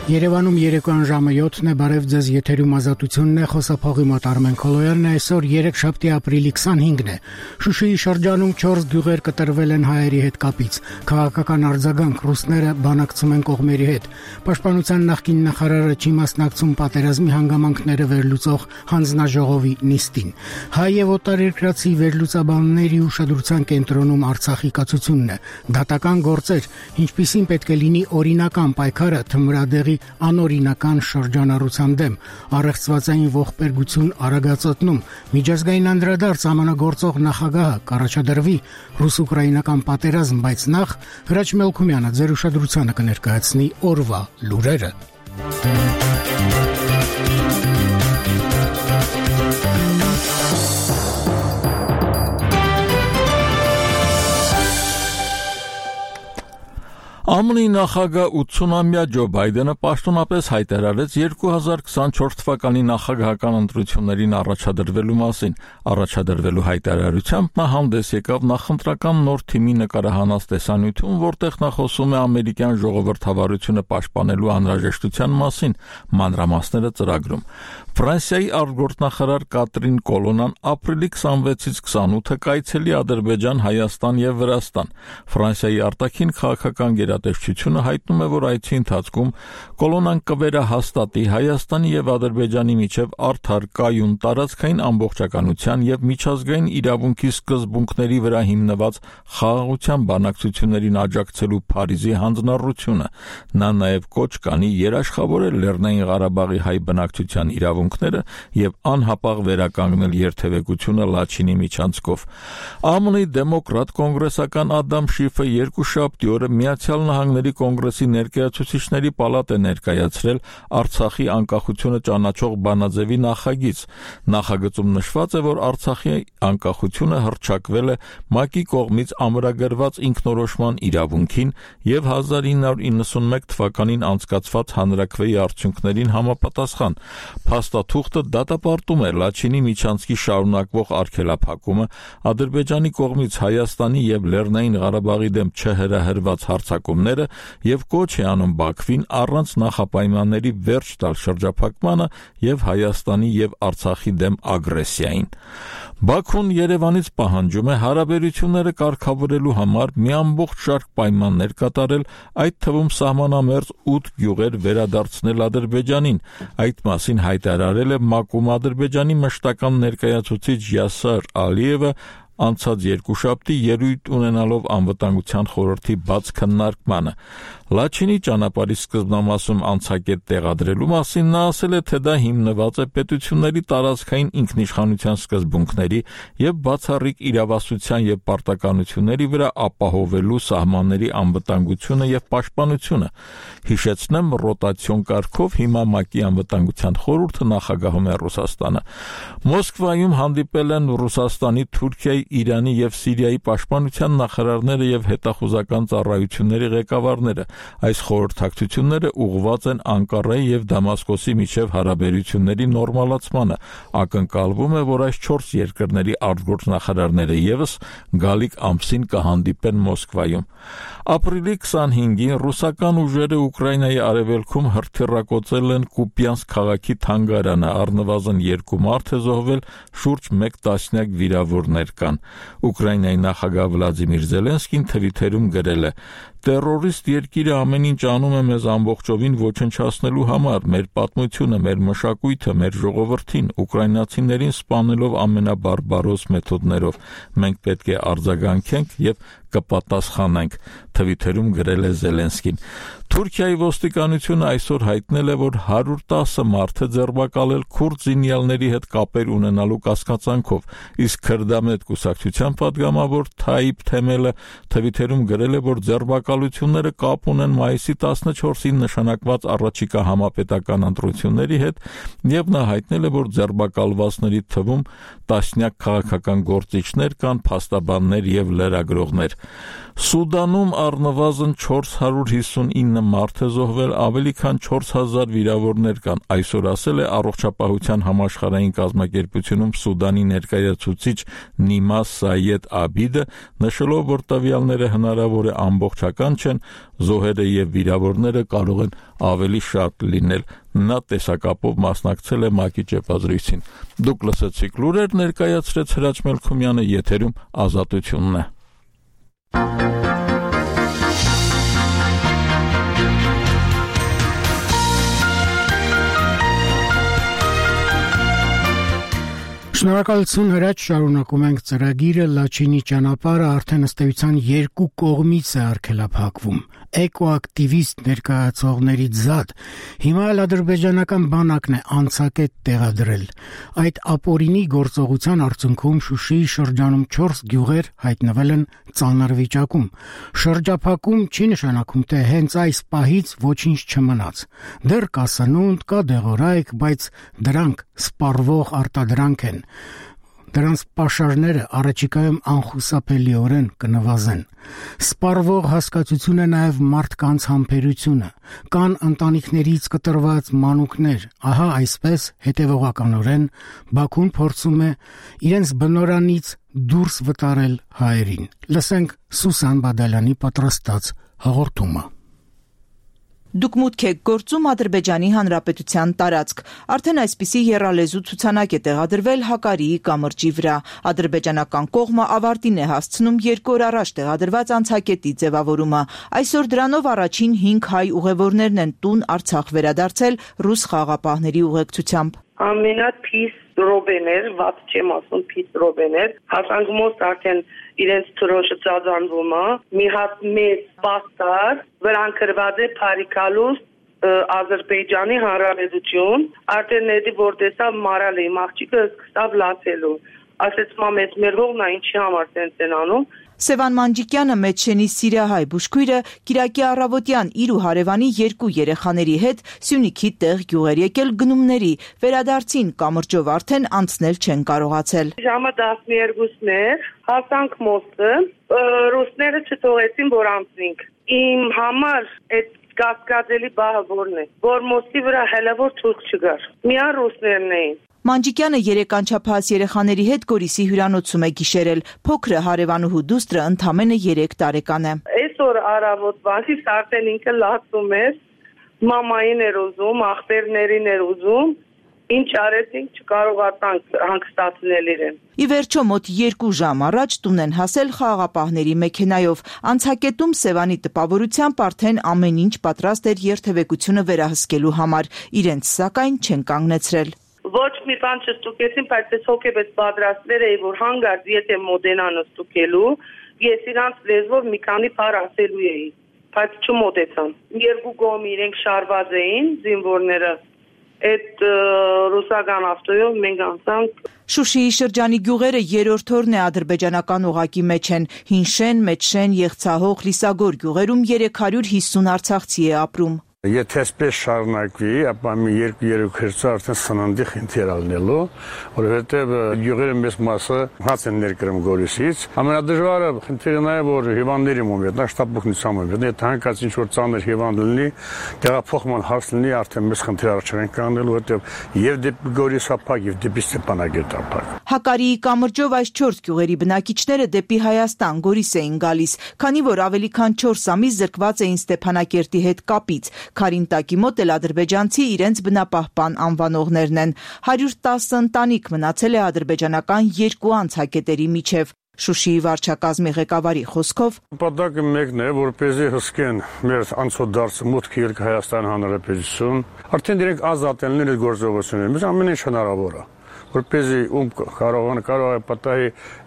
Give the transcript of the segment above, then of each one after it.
Երևանում երեկոյան ժամը 7-ն է, բարև ձեզ, եթերում Ազատությունն է, խոսափողի մոտ Արմեն Քոլոյանն է, այսօր 3 ապրիլի 25-ն է։ Շուշիի շրջանում 4 գյուղեր կտրվել են հայերի հետ կապից, քաղաքական արձագանք, ռուսները բանակցում են կողմերի հետ, Պաշտպանության նախկին նախարարը չի մասնակցում պատերազմի հանգամանքները վերլուծող հանձնաժողովի նիստին, հայ եւ օտարերկրացի վերլուծաբանների ուշադրության կենտրոնում Արցախի կացությունն է, դատական գործեր, ինչպիսին պետք է լինի օրինական պայքարը թմրադեղի անօրինական շրջանառության դեմ, առեղծվածային ողբերգություն Արագածոտնում, միջազգային անդրադարձ ամենագործող նախագահը կառաջադրվի ռուս-ուկրաինական պատերազմ, բայց նախ Հրաչ Մելքումյանը ձեր ուշադրությանը կներկայացնի օրվա լուրերը։ ԱՄՆ-ի նախագահ 80-ամյա Ջո Բայդենը պաշտոնապես հայտարարեց 2024 թվականի նախագահական ընտրություններին առաջադրվելու մասին։ Առաջադրվելու հայտարարությամբ նա հանդես եկավ նախընտրական նոր թիմի նկարահանած տեսանյութում, որտեղ նա խոսում է ամերիկյան ժողովրդավարությունը պաշտպանելու անհրաժեշտության մասին, մանրամասները ծրագրում։ Ֆրանսիայի արտգործնախարար Կատրին Կոլոնան ապրիլի 26-ից 28-ը կայցելի Ադրբեջան, Հայաստան եւ Վրաստան։ Ֆրանսիայի արտաքին քաղաքական գերատեսչությունը հայտնում է, որ այցի ընթացքում Կոլոնան կվերահաստատի Հայաստանի եւ Ադրբեջանի միջև արդար, կայուն, տարածքային ամբողջականության եւ միջազգային իրավունքի սկզբունքների վրա հիմնված խաղաղության բանակցություններին աջակցելու Փարիզի հանձնառությունը։ Նա նաեւ կոչ կանի երաշխավորել Լեռնային Ղարաբաղի հայ բնակչության իրավունքները եւ անհապաղ վերականգնել երթևեկությունը Լաչինի միջանցքով։ ԱՄՆ-ի դեմոկրատ կոնգրեսական Ադամ Շիֆը երկուշաբթի օրը Միացյալ Նահանգների կոնգրեսի ներկայացուցիչների պալատ է ներկայացրել Արցախի անկախությունը ճանաչող բանաձևի նախագիծ։ Նախագծում նշված է, որ Արցախի անկախությունը հռչակվել է ՄԱԿ-ի կողմից ամրագրված ինքնորոշման իրավունքին եւ 1991 թվականին անցկացված հանրաքվեի արդյունքներին համապատասխան։ Փաստաթուղթը դատապարտում է Լաչինի միջանցքի շարունակվող արգելափակումը, Ադրբեջանի կողմից Հայաստանի եւ Լեռնային Ղարաբաղի դեմ չհրահրված հարձակումները եւ կոչ է անում Բաքվին առանց նախապայմանների վերջ տալ շրջափակմանը եւ Հայաստանի եւ Արցախի դեմ ագրեսիային։ Բաքուն Երևանից պահանջում է հարաբերությունները կարգավորելու համար մի ամբողջ շարք պայմաններ կատարել, այդ թվում սահմանամերձ 8 գյուղեր վերադարձնել Ադրբեջանին։ Այդ մասին հայտարարել է ՄԱԿ-ում Ադրբեջանի մշտական ներկայացուցիչ Յասար Ալիևը անցած երկուշաբթի ելույթ ունենալով անվտանգության խորհրդի բաց քննարկմանը։ Լաչինի ճանապարհի սկզբնամասում անցակետ տեղադրելու մասին նա ասել է, թե դա հիմնված է պետությունների տարածքային ինքնիշխանության սկզբունքների եւ բացառիկ իրավասության եւ պարտականությունների վրա ապահովելու սահմանների անվտանգությունը եւ պաշտպանությունը։ Հիշեցնեմ, ռոտացիոն կարգով հիմա ՄԱԿ-ի անվտանգության խորհուրդը նախագահում է Ռուսաստանը։ Մոսկվայում հանդիպել են Ռուսաստանի, Թուրքիայի, Իրանի եւ Սիրիայի պաշտպանության նախարարները եւ հետախուզական ծառայությունների ղեկավարները։ Այս խորհրդակցությունները ուղղված են Անկարայի եւ Դամասկոսի միջև հարաբերությունների նորմալացմանը։ Ակնկալվում է, որ այս 4 երկրների արտգործնախարարները եւս գալիք ամսին կհանդիպեն Մոսկվայում։ Ապրիլի 25-ին ռուսական ուժերը Ուկրաինայի արևելքում հրթիռակոծել են Կուպյանսկ քաղաքի թանգարանը, առնվազն 2 մարդ է զոհվել, շուրջ 1 տասնյակ վիրավորներ կան։ Ուկրաինայի նախագահ Վլադիմիր Զելենսկին Թվիթերում գրել է. «Տերորիստ երկիրը ամեն ինչ անում է մեզ ամբողջովին ոչնչացնելու համար, մեր պատմությունը, մեր մշակույթը, մեր ժողովրդին, ուկրաինացիներին սպանելով ամենաբարբարոս մեթոդներով։ Մենք պետք է արձագանքենք եւ կպատասխանենք», Թվիթերում գրել է Զելենսկին։ Թուրքիայի ոստիկանությունը այսօր հայտնել է, որ 110 մարդ է ձերբակալել քուրդ զինյալների հետ կապեր ունենալու կասկածանքով, իսկ քրդամետ կուսակցության պատգամավոր Թայիփ Թեմելը Թվիթերում գրել է, որ ձերբակալությունները կապ ունեն մայիսի 14-ին նշանակված առաջիկա համապետական ընտրությունների հետ, եւ նա հայտնել է, որ ձերբակալվածների թվում տասնյակ քաղաքական գործիչներ կան, փաստաբաններ եւ լրագրողներ։ Սուդանում առնվազն 459 մարդ է զոհվել, ավելի քան 4000 վիրավորներ կան, այսօր ասել է Առողջապահության համաշխարհային կազմակերպությունում Սուդանի ներկայացուցիչ Նիմա Սայեդ Աբիդը, նշելով, որ տվյալները հնարավոր է ամբողջական բավական չեն, զոհերը եւ վիրավորները կարող են ավելի շատ լինել։ Նա տեսակապով մասնակցել է ՄԱԿ-ի ճեպազրույցին։ Դուք լսեցիք լուրեր, ներկայացրեց Հրաչ Մելքումյանը, եթերում Ազատությունն է։ Շնորհակալություն Հրաչ, շարունակում ենք ծրագիրը Լաչինի ճանապարհը արդեն ըստ էության երկու կողմից է արգելափակվում։ Էկոակտիվիստ ներկայացողներից զատ հիմա էլ ադրբեջանական բանակն է անցակետ տեղադրել։ Այդ ապօրինի գործողության արդյունքում Շուշիի շրջանում 4 գյուղեր հայտնվել են ծանր վիճակում։ Շրջափակում չի նշանակում, թե հենց այս պահից ոչինչ չմնաց։ Դեռ կա սնունդ, կա դեղորայք, բայց դրանք սպառվող արտադրանք են։ Դրանց պաշարները առաջիկայում անխուսափելիորեն կնվազեն։ Սպառվող հասկացություն է նաև մարդկանց համբերությունը։ Կան ընտանիքներից կտրված մանուկներ։ Ահա այսպես հետևողականորեն Բաքուն փորձում է իրենց բնորանից դուրս վտարել հայերին։ Լսենք Սուսան Բադալյանի պատրաստած հաղորդումը։ Դուք մուտք եք գործում Ադրբեջանի Հանրապետության տարածք։ Արդեն այսպիսի եռալեզու ցուցանակ է տեղադրվել Հակարիի կամրջի վրա։ Ադրբեջանական կողմը ավարտին է հասցնում 2 օր առաջ տեղադրված անցակետի ձևավորումը։ Այսօր դրանով առաջին 5 հայ ուղևորներն են տուն Արցախ վերադարձել ռուս խաղաղապահների ուղեկցությամբ։ Ամենափիս ռոբեներ, ված չեմ ասում, փիս ռոբեներ, հասանգումոս արդեն իրենց թրոշը ծածանվում է, մի հատ մեծ պաստար, վրան կրված է Փարիքալուս Ադրբեջանի Հանրապետություն, արդեն ներդի որ տեսավ մարալ է, աղջիկը սկսավ լացելու, ասեց մամեց մեր հողն է ինչի համար տենց են անում։ Սևան Մանջիկյանը Մեջշենի սիրիահայ բուժքույրը Կիրակի առավոտյան իր ու հարևանի 2 երեխաների հետ Սյունիքի տեղ գյուղեր եկել գնումների, վերադարձին կամրջով արդեն անցնել չեն կարողացել։ Ժամը 12-ն էր, հասանք մոստը, ռուսները չթողեցին որ անցնենք։ Իմ համար այդ կասկածելի բահը որն է, որ մոստի վրա հələ որ թուրք չգար։ Միան ռուսներն էին։ Մանջիկյանը 3 անչափահաս երեխաների հետ Գորիսի հյուրանոցում է գիշերել։ Փոքրը հարևանուհու դուստրը ընդամենը 3 տարեկան է։ Այսօր առավոտվանից արդեն ինքը լացում էր, մամային էր ուզում, աղբերներին էր ուզում, ինչ արեցինք չկարողացանք հանգստացնել իրեն։ Ի վերջո մոտ 2 ժամ առաջ տուն են հասել խաղաղապահների մեքենայով։ Անցակետում Սևանի տպավորությամբ արդեն ամեն ինչ պատրաստ էր երթևեկությունը վերահսկելու համար։ Իրենց սակայն չեն կանգնեցրել։ Ոչ մի բան չստուկեցին, բայց ես հոգեպես պատրաստվել էի, որ հանգարց եթե մոդենան ստուկելու, ես իրանց լեզվով մի քանի բառ ասելու էի, բայց չմոտեցան։ 2 կողմ իրենք շարված էին, զինվորները, այդ ռուսական ավտոյով մենք անցանք։ Շուշիի շրջանի գյուղերը 3-րդ օրն է ադրբեջանական օղակի մեջ են։ Հինշեն, Մեջշեն, Եղցահող, Լիսագոր գյուղերում 350 արցախցի է ապրում։ Եթե այսպես շարունակվի, ապա մի 2-3 քերծը արդեն սննդի խնդիր ալնելու, որովհետև գյուղերի մեծ մասը հաց են ներկրում Գորիսից։ Ամենադժվարը խնդիրը նա է, որ հիվանդների մոմետ, նա շտապօգնության մոմետ, եթե հանկարծ ինչ-որ ծանր հիվանդ լինի, տեղափոխման հարց լինի, արդեն մեծ խնդիր առաջ են կանգնելու, որովհետև եւ դեպի Գորիս ապակ, եւ դեպի Ստեփանագերտ ապակ։ Հակարիի կամրջով այս 4 գյուղերի բնակիչները դեպի Հայաստան, Գորիս էին գալիս, քանի որ ավելի քան 4 ամիս զրկված էին Ստեփանագերտի հետ կապից։ Քարինտակի մոտ էլ ադրբեջանցի իրենց բնապահպան անվանողներն են։ 110 ընտանիք մնացել է ադրբեջանական 2 անցակետերի միջև։ Շուշիի վարչակազմի ղեկավարի խոսքով նպատակը մեկն է, որպեսզի հսկեն մեր անցորդարձը մուտքը ելք Հայաստան Հանրապետություն, արդեն իրենք ազատելն են գործողությունները, biz ամեն ինչ հնարավոր է, որպեսզի կարող է պատահի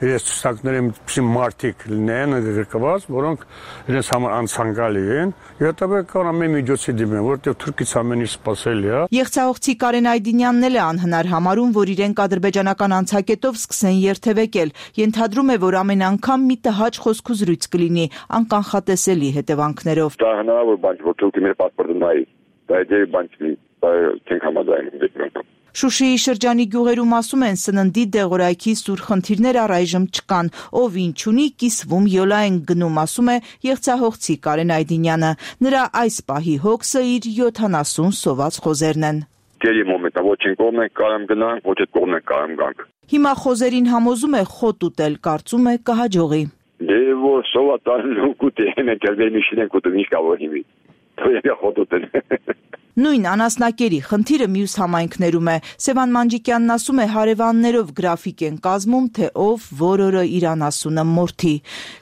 իրենց ցուցակների մի մարտիկ լինեն գրկված, որոնք իրենց համար անցանկալի են, եւ հետո կարող ամեն միջոցի դիմեն, որտեղ թուրքից ամեն ինչ սպասելի է։ Եղցահողցի Կարեն Այդինյանն էլ է անհնար համարում, որ իրենք ադրբեջանական անցակետով սկսեն երթևեկել։ Ենթադրում է, որ ամեն անգամ մի տհաճ խոսքուզրույց կլինի անկանխատեսելի հետևանքներով։ Դա հնարավոր բան չէ, որ թուրքի մեր պասպորտը նայի, դա դեպի բան չի, դա չենք համաձայնում դեպի։ Շուշիի շրջանի գյուղերում ասում են սննդի դեղորայքի սուր խնդիրներ առայժմ չկան, ով ինչ ունի կիսվում յոլա են գնում, ասում է Եղցահողցի Կարեն Այդինյանը։ Նրա այս պահի հոգսը իր 70 սոված խոզերն են։ Գերի մոմենտը ոչ են կողմեն կարամ գնանք, ոչ այդ կողմեն կարամ գանք։ Հիմա խոզերին համոզում է խոտ ուտել, կարծում է կհաջողի։ Դե его соватан кутене тервемишне кутунишка вогими. То я ходотен. Նույն անասնակերի խնդիրը մյուս համայնքներում է։ Սևան Մանջիկյանն ասում է, հարևաններով գրաֆիկ են կազմում, թե ով որ օրը իր անասունը մորթի։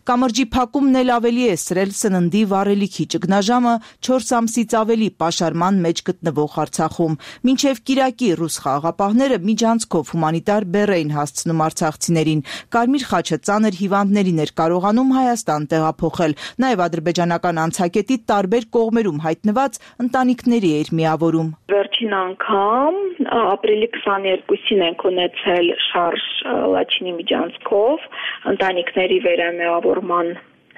Կամրջի փակումն էլ ավելի է սրել սննդի վառելիքի ճգնաժամը 4 ամսից ավելի պաշարման մեջ գտնվող Արցախում։ Մինչև կիրակի ռուս խաղաղապահները միջանցքով հումանիտար բեռ էին հասցնում արցախցիներին։ Կարմիր խաչը ծանր հիվանդներին էր կարողանում Հայաստան տեղափոխել։ Նաև ադրբեջանական անցակետի տարբեր կողմերում հայտնված ընտանիքների միավորում։ Վերջին անգամ ապրիլի 22-ին ենք ունեցել շարժ Լաչինի միջանցքով ընտանիքների վերամիավորման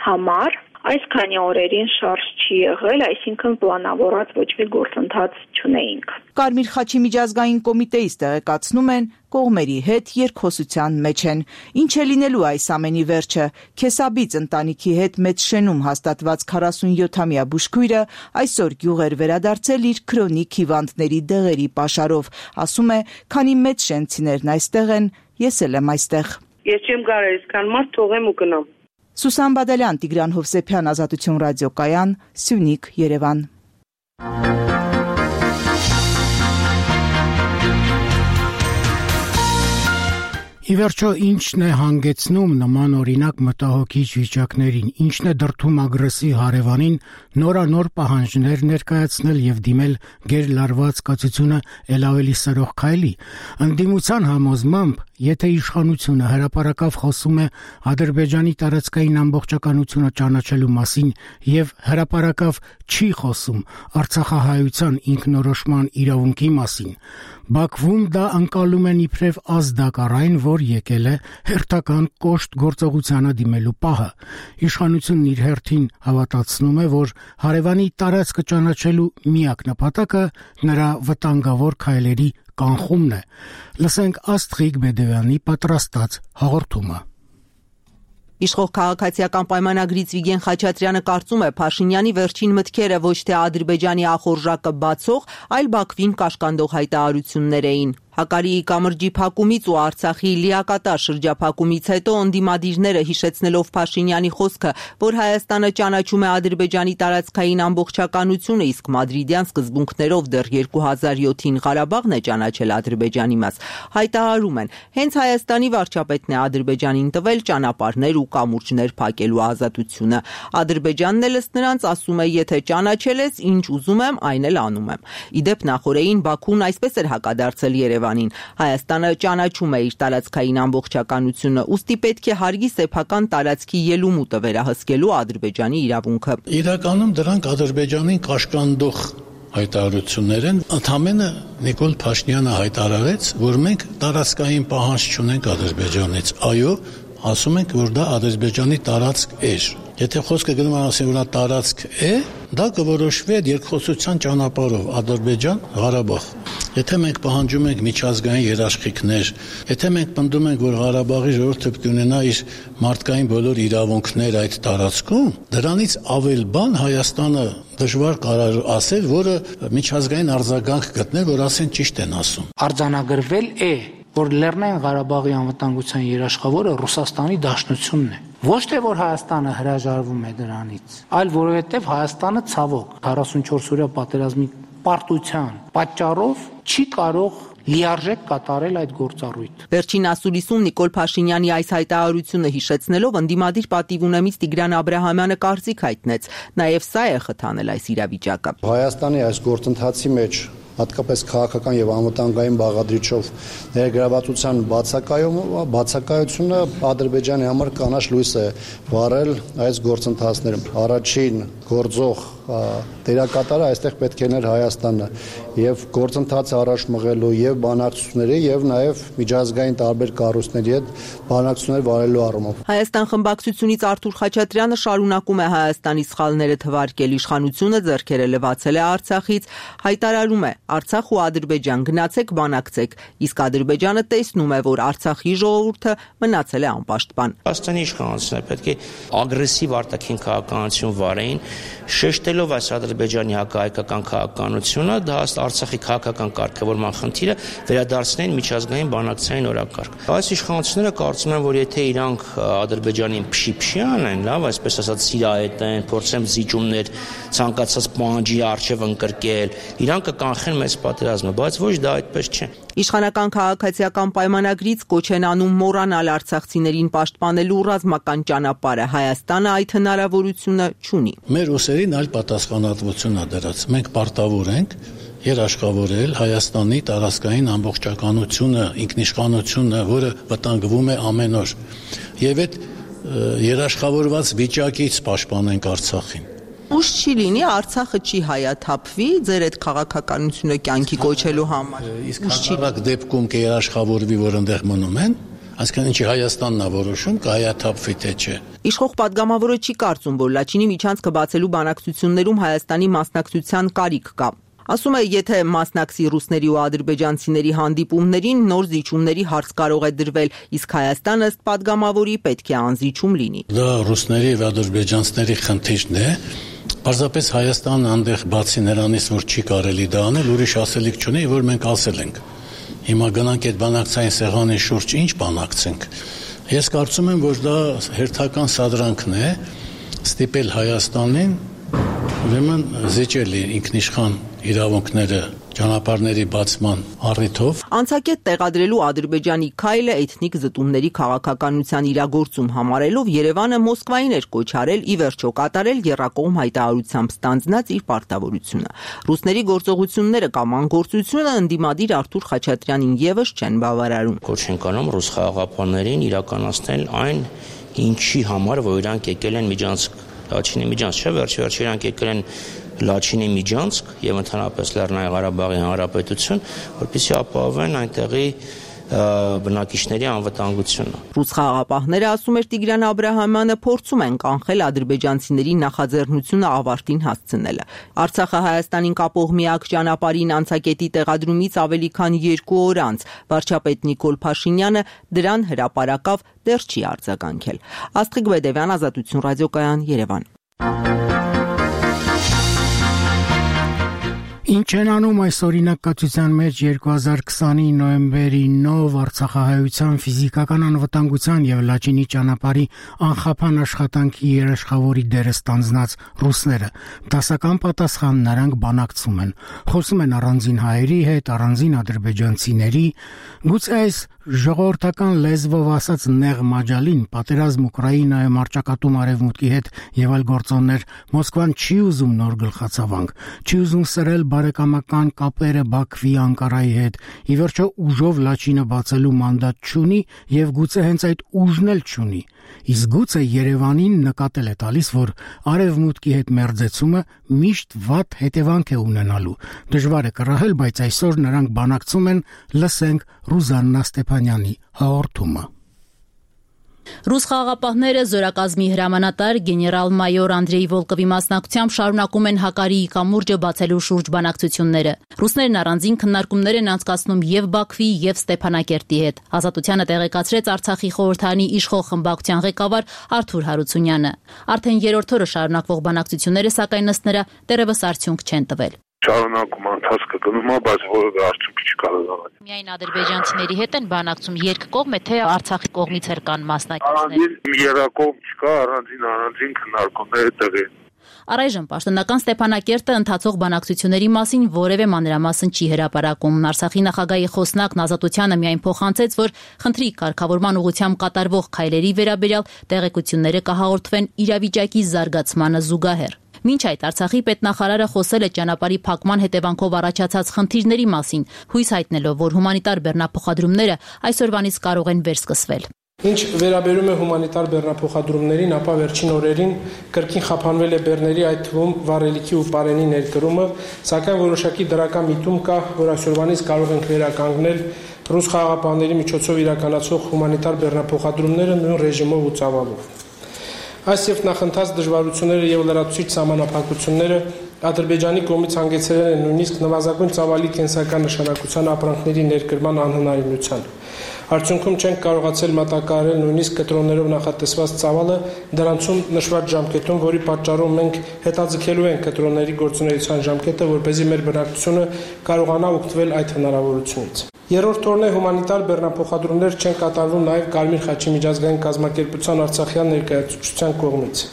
համար։ Այս քանի օրերին շարժ չի եղել, այսինքն պլանավորած ոչ մի գործընթաց չունեինք։ Կարմիր խաչի միջազգային կոմիտեից տեղեկացնում են, կողմերի հետ երկխոսության մեջ են։ Ինչ է լինելու այս ամենի վերջը։ Քեսաբից ընտանիքի հետ մեծ շենում հաստատված 47-ամյա բուժքույրը այսօր գյուղ էր վերադարձել իր քրոնիկ հիվանդների դեղերի պաշարով։ Ասում է, քանի մեծ շենցիներն այստեղ են, ես էլ եմ այստեղ։ Ես չեմ կարող այսքան մարդ թողեմ ու գնամ։ Սուսան Բադալյան, Տիգրան Հովսեփյան, Ազատություն ռադիոկայան, Սյունիք, Երևան։ Ի վերջո, ինչն է հանգեցնում նման օրինակ մտահոգիչ վիճակներին, ինչն է դրդում ագրեսի հարևանին նորանոր պահանջներ ներկայացնել եւ դիմել գերլարված կացությունը ել ավելի սրող քայլի։ Ընդդիմության համոզմամբ, եթե իշխանությունը հրապարակավ խոսում է Ադրբեջանի տարածքային ամբողջականությունը ճանաչելու մասին եւ հրապարակավ չի խոսում Արցախահայության ինքնորոշման իրավունքի մասին, Բաքվում դա անցալում են իբրև ազդակարային, որ եկել է հերթական կոշտ գործողությանը դիմելու պահը։ Իշխանությունն իր հերթին հավատացնում է, որ հարևանի տարածքը ճանաչելու միակ նպատակը նրա վտանգավոր քայլերի կանխումն է։ Լսենք Աստղիկ Բեդևյանի պատրաստած հաղորդումը։ Իշխող քաղաքացիական պայմանագրից Վիգեն Խաչատրյանը կարծում է Փաշինյանի վերջին մտքերը ոչ թե Ադրբեջանի ախորժակը բացող, այլ Բաքվին կաշկանդող հայտարարություններ էին։ Հակարիի կամրջի փակումից ու Արցախի լիակատար շրջափակումից հետո ընդդիմադիրները հիշեցնելով Փաշինյանի խոսքը, որ Հայաստանը ճանաչում է Ադրբեջանի տարածքային ամբողջականությունը, իսկ մադրիդյան սկզբունքներով դեռ 2007-ին Ղարաբաղն է ճանաչել Ադրբեջանի մաս, հայտարարում են, հենց Հայաստանի վարչապետն է Ադրբեջանին տվել ճանապարհներ ու կամուրջներ փակելու ազատությունը։ Ադրբեջանն էլ ըստ նրանց ասում է, եթե ճանաչել ես, ինչ ուզում եմ, այն էլ անում եմ։ Իդեպ նախորդին Բաքուն այսպես էր հակադարձել Երևանին։ Հայաստանը ճանաչում է իր տարածքային ամբողջականությունը, ուստի պետք է հարգի սեփական տարածքի ելումուտը վերահսկելու Ադրբեջանի իրավունքը։ Իրականում դրանք Ադրբեջանին կաշկանդող հայտարարություններ են։ Ընդհանրապես Նիկոլ Փաշինյանը հայտարարեց, որ մենք տարածքային պահանջ չունենք Ադրբեջանից։ Այո, ասում ենք, որ դա Ադրբեջանի տարածք էր։ Եթե խոսքը գնում է ասեն, որ նա տարածք է, դա կորոշվի այդ երկխոսության ճանապարհով Ադրբեջան, Ղարաբաղ։ Եթե մենք պահանջում ենք միջազգային երաշխիքներ, եթե մենք պնդում ենք, որ Ղարաբաղի ժողովուրդը պետք է ունենա իր մարդկային բոլոր իրավունքներ այդ տարածքում, դրանից ավել բան Հայաստանը դժվար կարող ասել, որը միջազգային արձագանք գտնել, որ ասեն ճիշտ են ասում։ Արձանագրվել է, որ Լեռնային Ղարաբաղի անվտանգության երաշխավորը Ռուսաստանի Դաշնությունն է։ Ոչ թե որ Հայաստանը հրաժարվում է դրանից, այլ որովհետև Հայաստանը ցավոք 44-օրյա պատերազմի պարտության պատճառով չի կարող լիարժեք կատարել այդ գործառույթը։ Վերջին ասուլիսում Նիկոլ Փաշինյանի այս հայտարարությունը հիշեցնելով ընդդիմադիր պատիվունեմից Տիգրան Աբրահամյանը կարծիք հայտնեց, նաև սա է խթանել այս իրավիճակը։ Հայաստանի այս գործընթացի մեջ հատկապես քաղաքական եւ անվտանգային բաղադրիչով ներգրավվածության բացակայությունը Ադրբեջանի համար կանաչ լույս է վառել այս գործընթացներում։ Առաջին գործող դերակատարը այստեղ պետք է ներ Հայաստանը եւ գործընթացը առաջ մղելու եւ բանակցությունների եւ նաեւ միջազգային տարբեր կառույցների հետ բանակցություններ վարելու առումով։ Հայաստան խմբակցությունից Արթուր Խաչատրյանը շարունակում է Հայաստանի սխալները թվարկել, իշխանությունը ձեռքերը լվացել է Արցախից, հայտարարում է Արցախ ու Ադրբեջան գնացեք բանակցեք, իսկ Ադրբեջանը տեսնում է, որ Արցախի ժողովուրդը մնացել է անպաշտպան։ Հայաստանի իշխանությունները պետք է ագրեսիվ արտաքին քաղաքականություն վարեին, շեշտել Ընդունելով այս Ադրբեջանի հակահայկական քաղաքականությունը, դա Արցախի քաղաքական կարգավորման խնդիրը վերադարձնեն միջազգային բանակցային օրակարգ։ Այս իշխանությունները կարծում են, որ եթե իրանք Ադրբեջանին փշի անեն, լավ, այսպես ասած սիրահետեն, փորձեն զիջումներ ցանկացած պահանջի առջև ընկրկել, իրանք կկանխեն մեծ պատերազմը, բայց ոչ դա այդպես չէ։ Իշխանական քաղաքացիական պայմանագրից կոչ են անում մոռանալ արցախցիներին պաշտպանելու ռազմական ճանապարհը, Հայաստանը այդ հնարավորությունը չունի։ Մեր ուսերին այլ պատասխանատվություն ա դրած։ Մենք պարտավոր ենք երաշխավորել Հայաստանի տարածքային ամբողջականությունը, ինքնիշխանությունը, որը վտանգվում է ամեն օր։ Եվ այդ երաշխավորված վիճակից պաշտպանենք Արցախին։ Ուշ չի լինի, Արցախը չի հայաթափվի ձեր այդ քաղաքականությունը կյանքի կոչելու համար։ Իսկ հակառակ դեպքում կերաշխավորվի, որ այնտեղ մնում են, այսինքն ինչի Հայաստանն է որոշում, կհայաթափվի թե չէ։ Իշխող падգամավորը չի կարծում, որ Լաչինի միջանցքը բացելու բանակցություններում Հայաստանի մասնակցության կարիք կա։ Ասում է, եթե մասնակցի ռուսների ու ադրբեջանցիների հանդիպումներին, նոր զիջումների հարց կարող է դրվել, իսկ Հայաստանը ըստ падգամավորի պետք է անզիջում լինի։ Դա ռուսների եւ ադրբեջանցիների խնդիրն է։ Պարզապես Հայաստանը այնտեղ բացի նրանից, որ չի կարելի դա անել, ուրիշ ասելիք չունի, որ մենք ասել ենք։ Հիմա գնանք այդ բանակցային սեղանի շուրջ ինչ բանակցենք։ Ես կարծում եմ, որ դա հերթական սադրանքն է ստիպել Հայաստանին ուրեմն զիջել ինքնիշխան իրավունքները ճանապարհների բացման առիթով։ Անցակետ տեղադրելու Ադրբեջանի քայլը էթնիկ զտումների քաղաքականության իրագործում համարելով Երևանը Մոսկվային էր կոչարել ի վերջո կատարել եռակողմ հայտարարությամբ ստանձնած իր պարտավորությունը։ Ռուսների գործողությունները կամ անգործությունը ընդդիմադիր Արթուր Խաչատրյանին եւս չեն բավարարում։ Կոչ ենք անում ռուս խաղաղապահներին իրականացնել այն, ինչի համար որ իրանք եկել են Միջանցք, Լաչինի Միջանցք, չէ՞, վերջ իրանք եկել են Լաչինի Միջանցք եւ ընդհանրապես Լեռնային Ղարաբաղի Հանրապետություն, որպեսզի ապահովեն այնտեղի բնակիչների անվտանգությունը։ Ռուս խաղաղապահները, ասում էր Տիգրան Աբրահամյանը, փորձում են կանխել ադրբեջանցիների նախաձեռնությունը ավարտին հասցնելը։ Արցախը Հայաստանին կապող միակ ճանապարհին անցակետի տեղադրումից ավելի քան 2 օր անց վարչապետ Նիկոլ Փաշինյանը դրան հրապարակավ դեռ չի արձագանքել։ Աստղիկ Բեդևյան, Ազատություն ռադիոկայան, Երևան։ Ինչ են անում այս օրինակացության մեջ 2020-ի նոյեմբերի 9 Արցախահայության ֆիզիկական անվտանգության եւ Լաչինի ճանապարհի անխափան աշխատանքի երաշխավորի դերը ստանձնած ռուսները։ Դասական պատասխան նրանք բանակցում են։ Խոսում են առանձին հայերի հետ, առանձին ադրբեջանցիների, գուցե այս ժողովրդական լեզվով ասած նեղ մաջալին պատերազմ Ուկրաինայում արճակատում արևմուտքի հետ եւ այլ գործոններ Մոսկվան չի ուզում նոր գլխացավանք, չի ուզում սրել բարեկամական կապերը Բաքվի Անկարայի հետ, ի վերջո ուժով Լաչինը բացելու մանդատ չունի եւ գուցե հենց այդ ուժն էլ չունի։ Իսկ գուցե Երևանին նկատել է տալիս, որ արևմուտքի հետ մերձեցումը միշտ վատ հետևանք է ունենալու։ Դժվար է կռահել, բայց այսօր նրանք բանակցում են, լսենք Ռուզաննա Ստեփանյանի հաղորդումը։ Ռուս խաղաղապահները զորակազմի հրամանատար գեներալ-մայոր Անդրեյ Վոլկովի մասնակցությամբ շարունակում են Հակարիի կամուրջը բացելու շուրջ բանակցությունները։ Ռուսներն առանձին քննարկումներ են անցկացնում եւ Բաքվի եւ Ստեփանակերտի հետ։ Ազատությանը տեղեկացրեց Արցախի խորհրդարանի իշխող խմբակցության ղեկավար Արթուր Հարությունյանը։ Արդեն երրորդ օրը շարունակվող բանակցությունները, սակայն ըստ նրա, դեռևս արդյունք չեն տվել։ Շարունակում ընթացքը գնում է, բայց որևէ արդյունք չի կարող անել։ Միայն ադրբեջանցիների հետ են բանակցում երկկողմ, թե Արցախի կողմից էլ կան մասնակիցներ։ Երակողմ չկա, առանձին քննարկումներ տեղի են։ Առայժմ պաշտոնական Ստեփանակերտը ընթացող բանակցությունների մասին որևէ մանրամասն չի հրապարակում։ Արցախի նախագահի խոսնակն Ազատությանը միայն փոխանցեց, որ խնդրի կարգավորման ուղղությամբ կատարվող քայլերի վերաբերյալ տեղեկությունները կհաղորդվեն իրավիճակի զարգացմանը զուգահեռ։ Մինչ այդ Արցախի պետնախարարը խոսել է ճանապարհի փակման հետևանքով առաջացած խնդիրների մասին, հույս հայտնելով, որ հումանիտար բեռնափոխադրումները այսօրվանից կարող են վերսկսվել։ Ինչ վերաբերում է հումանիտար բեռնափոխադրումներին, ապա վերջին օրերին կրկին խափանվել է բեռների, այդ թվում վառելիքի ու պարենի ներկրումը, սակայն որոշակի դրական միտում կա, որ այսօրվանից կարող ենք վերականգնել ռուս խաղաղապահների միջոցով իրականացող հումանիտար բեռնափոխադրումները նույն ռեժիմով ու ծավալով։ Այս եւ նախընթաց դժվարությունները եւ լրացուցիչ սահմանափակությունները Ադրբեջանի կողմից հանգեցրել են նույնիսկ նվազագույն ծավալի կենսական նշանակության ապրանքների ներկրման անհնարինության։ Արդյունքում չենք կարողացել մատակարարել նույնիսկ կտրոններով նախատեսված ծավալը դրանցում նշված ժամկետում, որի պատճառով մենք հետաձգելու ենք կտրոնների գործունեության ժամկետը, որպեսզի մեր բնակչությունը կարողանա օգտվել այդ հնարավորությունից։ Երրորդ օրն է հումանիտար բեռնափոխադրումներ չեն կատարվում նաև Կարմիր խաչի միջազգային կազմակերպության Արցախյան ներկայացուցչության կողմից։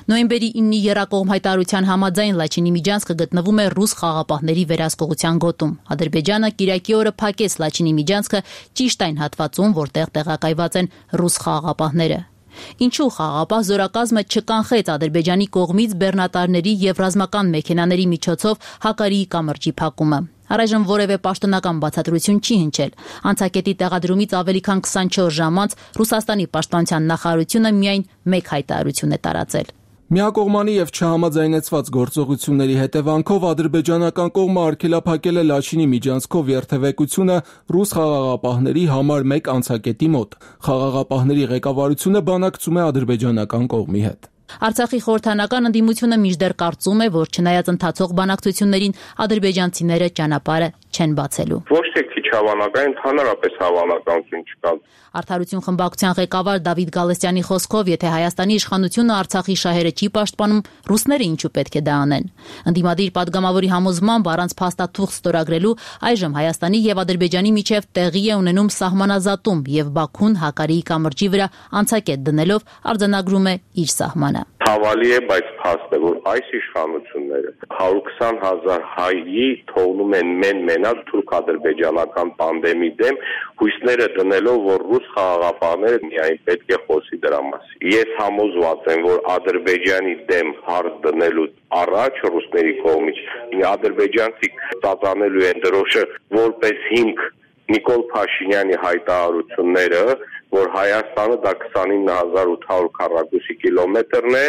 Նոյեմբերի 9-ի եռակողմ հայտարարության համաձայն Լաչինի Միջանցքը գտնվում է ռուս խաղաղապահների վերահսկողության գոտում։ Ադրբեջանը Կիրակի օրը փակեց Լաչինի Միջանցքը ճիշտ այն հատվածում, որտեղ տեղակայված են ռուս խաղաղապահները։ Ինչու խաղաղապահ զորակազմը չկանխեց Ադրբեջանի կողմից բեռնատարների եւ ռազմական մեքենաների միջոցով Հակարիի կամրջի փակումը։ Առայժմ որևէ պաշտոնական բացատրություն չի հնչել։ Անցակետի տեղադրումից ավելի քան 24 ժամ անց Ռուսաստանի պաշտպանության նախարարությունը միայն մեկ հայտարարություն է տարածել։ Միակողմանի եւ չհամաձայնեցված գործողությունների հետևանքով ադրբեջանական կողմը արգելափակել է Լաչինի Միջանցքով երթևեկությունը ռուս խաղաղապահների համար 1 անցակետի մոտ։ Խաղաղապահների ղեկավարությունը բանակցում է ադրբեջանական կողմի հետ։ Արցախի խորհրդանական ընդդիմությունը մինչդեռ կարծում է, որ չնայած ընթացող բանակցություններին ադրբեջանցիները ճանապարհը չեն բացելու։ Ոչ թե քիչ հավանական, ընդհանրապես հավանականություն չկա։ Արդարություն խմբակցության ղեկավար Դավիթ Գալստյանի խոսքով, եթե Հայաստանի իշխանությունը Արցախի շահերը չի պաշտպանում, ռուսները ինչու պետք է դա անեն։ Ընդդիմադիր падգամավորի համոզմամբ առանց փաստաթուղթ ստորագրելու այժմ Հայաստանի եւ Ադրբեջանի միջև տեղի է ունենում սահմանազատում եւ Բաքուն Հակարիի կամրջի վրա անցակետ դնելով արձանագրում է իր սահմանը։ Հավալի է, բայց փաստ է, որ այս իշխանությունները 120,000 հայի թողնում են մենակ թուրք-ադրբեջանական պանդեմի դեմ, հույսները դնելով, որ ռուս խաղաղապահները միայն պետք է խոսի դրա մասին։ Ես համոզված եմ, որ Ադրբեջանի դեմ հարց դնելու առաջ ռուսների կողմից ադրբեջանցիք ծածանելու են դրոշը որպես հիմք Նիկոլ Փաշինյանի հայտարարությունները, որ Հայաստանը դա 29800 քառակուսի կիլոմետրն է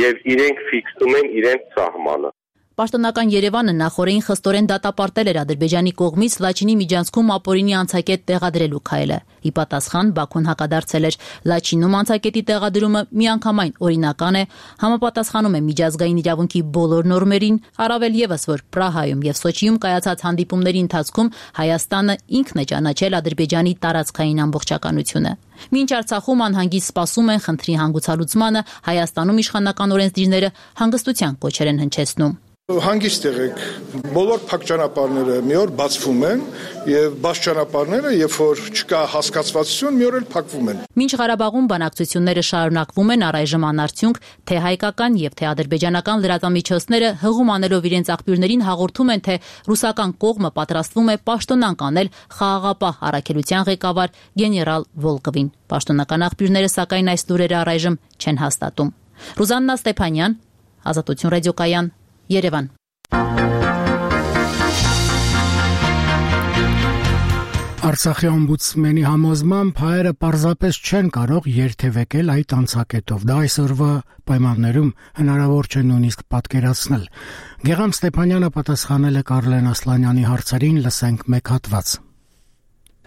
եւ իրենք ֆիքսում են իրենց սահմանը։ Պաշտոնական Երևանը նախորդին խստորեն դատապարտել էր Ադրբեջանի կողմից Լաչինի Միջանցքում ապօրինի անցակետ տեղադրելու քայլը։ Ի պատասխան Բաքուն հակադարձել էր Լաչինում անցակետի տեղադրումը միանգամայն օրինական է, համապատասխանում է միջազգային իրավունքի բոլոր նորմերին, առավել եւս որ Պրահայում եւ Սոչիում կայացած հանդիպումների ընթացքում Հայաստանը ինքն է ճանաչել Ադրբեջանի տարածքային ամբողջականությունը։ Մինչ Արցախում անհանգիստ սպասում են խնդրի հանգուցալուծմանը, Հայաստանում իշխանական օրենսդիրները հանգստության կոչեր են հնչեցնում։ Հանգիստ եղեք, բոլոր փակ ճանապարհները մի օր բացվում են եւ բաց ճանապարհները, երբ որ չկա հասկացվածություն, մի օր էլ փակվում են։ Մինչ Ղարաբաղում բանակցությունները շարունակվում են, առայժմ անարդյունք թե հայկական եւ թե ադրբեջանական լրատվամիջոցները հղում անելով իրենց աղբյուրներին հաղորդում են, թե ռուսական կողմը պատրաստվում է պաշտոնանկ անել խաղաղապահ առաքելության ղեկավար գեներալ Վոլկովին։ Պաշտոնական աղբյուրները սակայն այս լուրերը առայժմ չեն հաստատում։ Ռուզաննա Ստեփանյան, Ազատություն ռադիոկայան, Երևան։ Արցախի օմբուդսմենի համոզմամբ հայերը պարզապես չեն կարող երթևեկել այդ անցակետով։ Դա այսօրվա պայմաններում հնարավոր չէ նույնիսկ պատկերացնել։ Գեգամ Ստեփանյանը պատասխանել է Կարլեն Ասլանյանի հարցերին, լսենք մեկ հատված։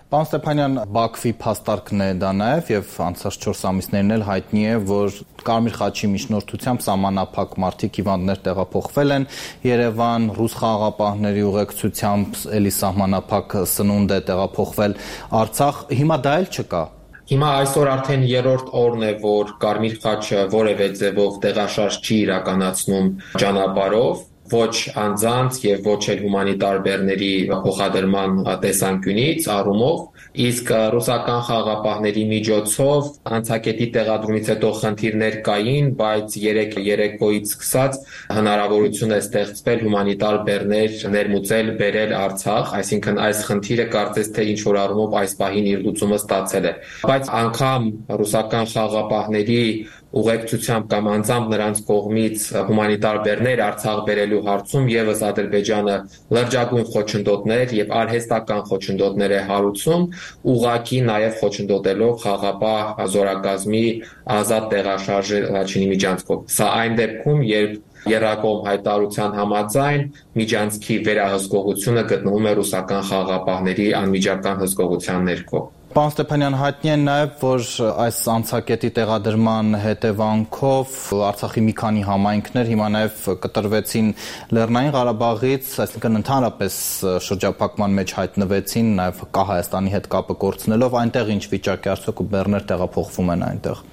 Պարոն Ստեփանյան, Բաքվի փաստարկն է դա նաև եւ անցած 4 ամիսներն էլ հայտնի է, որ Կարմիր խաչի միջնորդությամբ սահմանափակ մարդիկ հիվանդներ տեղափոխվել են Երևան, ռուս խաղաղապահների ուղեկցությամբ էլի սահմանափակ սնունդ է տեղափոխվել Արցախ, հիմա դա էլ չկա։ Հիմա այսօր արդեն երրորդ օրն է, որ Կարմիր խաչը որևէ ձևով տեղաշարժ չի իրականացնում ճանապարհով, ոչ անձանց եւ ոչ էլ հումանիտար բեռների փոխադրման տեսանկյունից առումով, իսկ ռուսական խաղաղապահների միջոցով անցակետի տեղադրումից հետո խնդիրներ կային, բայց երեկոյից սկսած հնարավորություն է ստեղծվել հումանիտար բեռներ ներմուծել, բերել Արցախ, այսինքն այս խնդիրը կարծես թե ինչ որ առումով այս պահին իր լուծումը ստացել է։ Բայց անգամ ռուսական խաղաղապահների ուղեկցությամբ կամ անձամբ նրանց կողմից հումանիտար բեռներ Արցախ բերելու հարցում եւս Ադրբեջանը լրջագույն խոչընդոտներ եւ արհեստական խոչընդոտներ է հարուցում, ուղղակի նաեւ խոչընդոտելով խաղաղապահ զորակազմի ազատ տեղաշարժը Լաչինի միջանցքով։ Սա այն դեպքում, երբ Երակոմ հայտարարության համաձայն միջանցքի վերահսկողությունը գտնվում է ռուսական խաղաղապահների անմիջական հսկողության ներքո։ Պարոն Ստեփանյան, հայտնի է նաև, որ այս անցակետի տեղադրման հետևանքով Արցախի մի քանի համայնքներ հիմա նաև կտրվեցին Լեռնային Ղարաբաղից, այսինքն ընդհանրապես շրջափակման մեջ հայտնվեցին, նաև Հայաստանի հետ կապը կորցնելով, այնտեղ ինչ վիճակ է, արդյոք բեռներ տեղափոխվում են այնտեղ։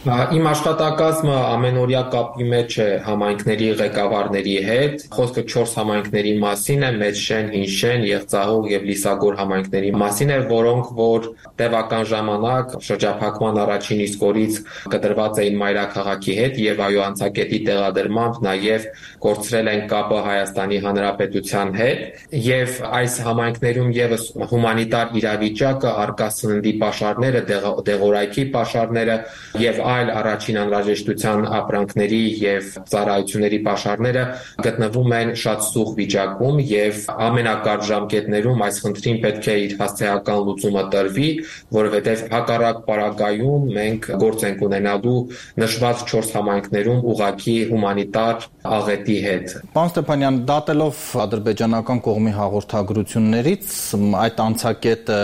Իմ աշխատակազմը ամենօրյա կապի մեջ է համայնքների ղեկավարների հետ։ Խոսքը 4 համայնքների մասին է՝ Մեծշեն, Հինշեն, Եղցահող եւ Լիսագոր համայնքների մասին է, որոնք որ տևական ժամանակ շրջափակման առաջին իսկ օրից կտրված էին մայրաքաղաքի հետ եւ այո անցակետի տեղադրմամբ նաեւ կորցրել են կապը Հայաստանի Հանրապետության հետ եւ այս համայնքներում եւս հումանիտար իրավիճակը, արկա սննդի պաշարները, դեղորայքի պաշարները եւ այլ առաջին անհրաժեշտության ապրանքների եւ ծառայությունների պաշարները գտնվում են շատ սուղ վիճակում եւ ամենակարճ ժամկետներում այս խնդրին պետք է իր հասցեական լուծումը տրվի, որովհետեւ հակառակ պարագայում մենք գործ ենք ունենալու նշված 4 համայնքներում ուղղակի հումանիտար աղետի հետ։ Պարոն Ստեփանյան, դատելով ադրբեջանական կողմի հաղորդագրություններից, այդ անցակետը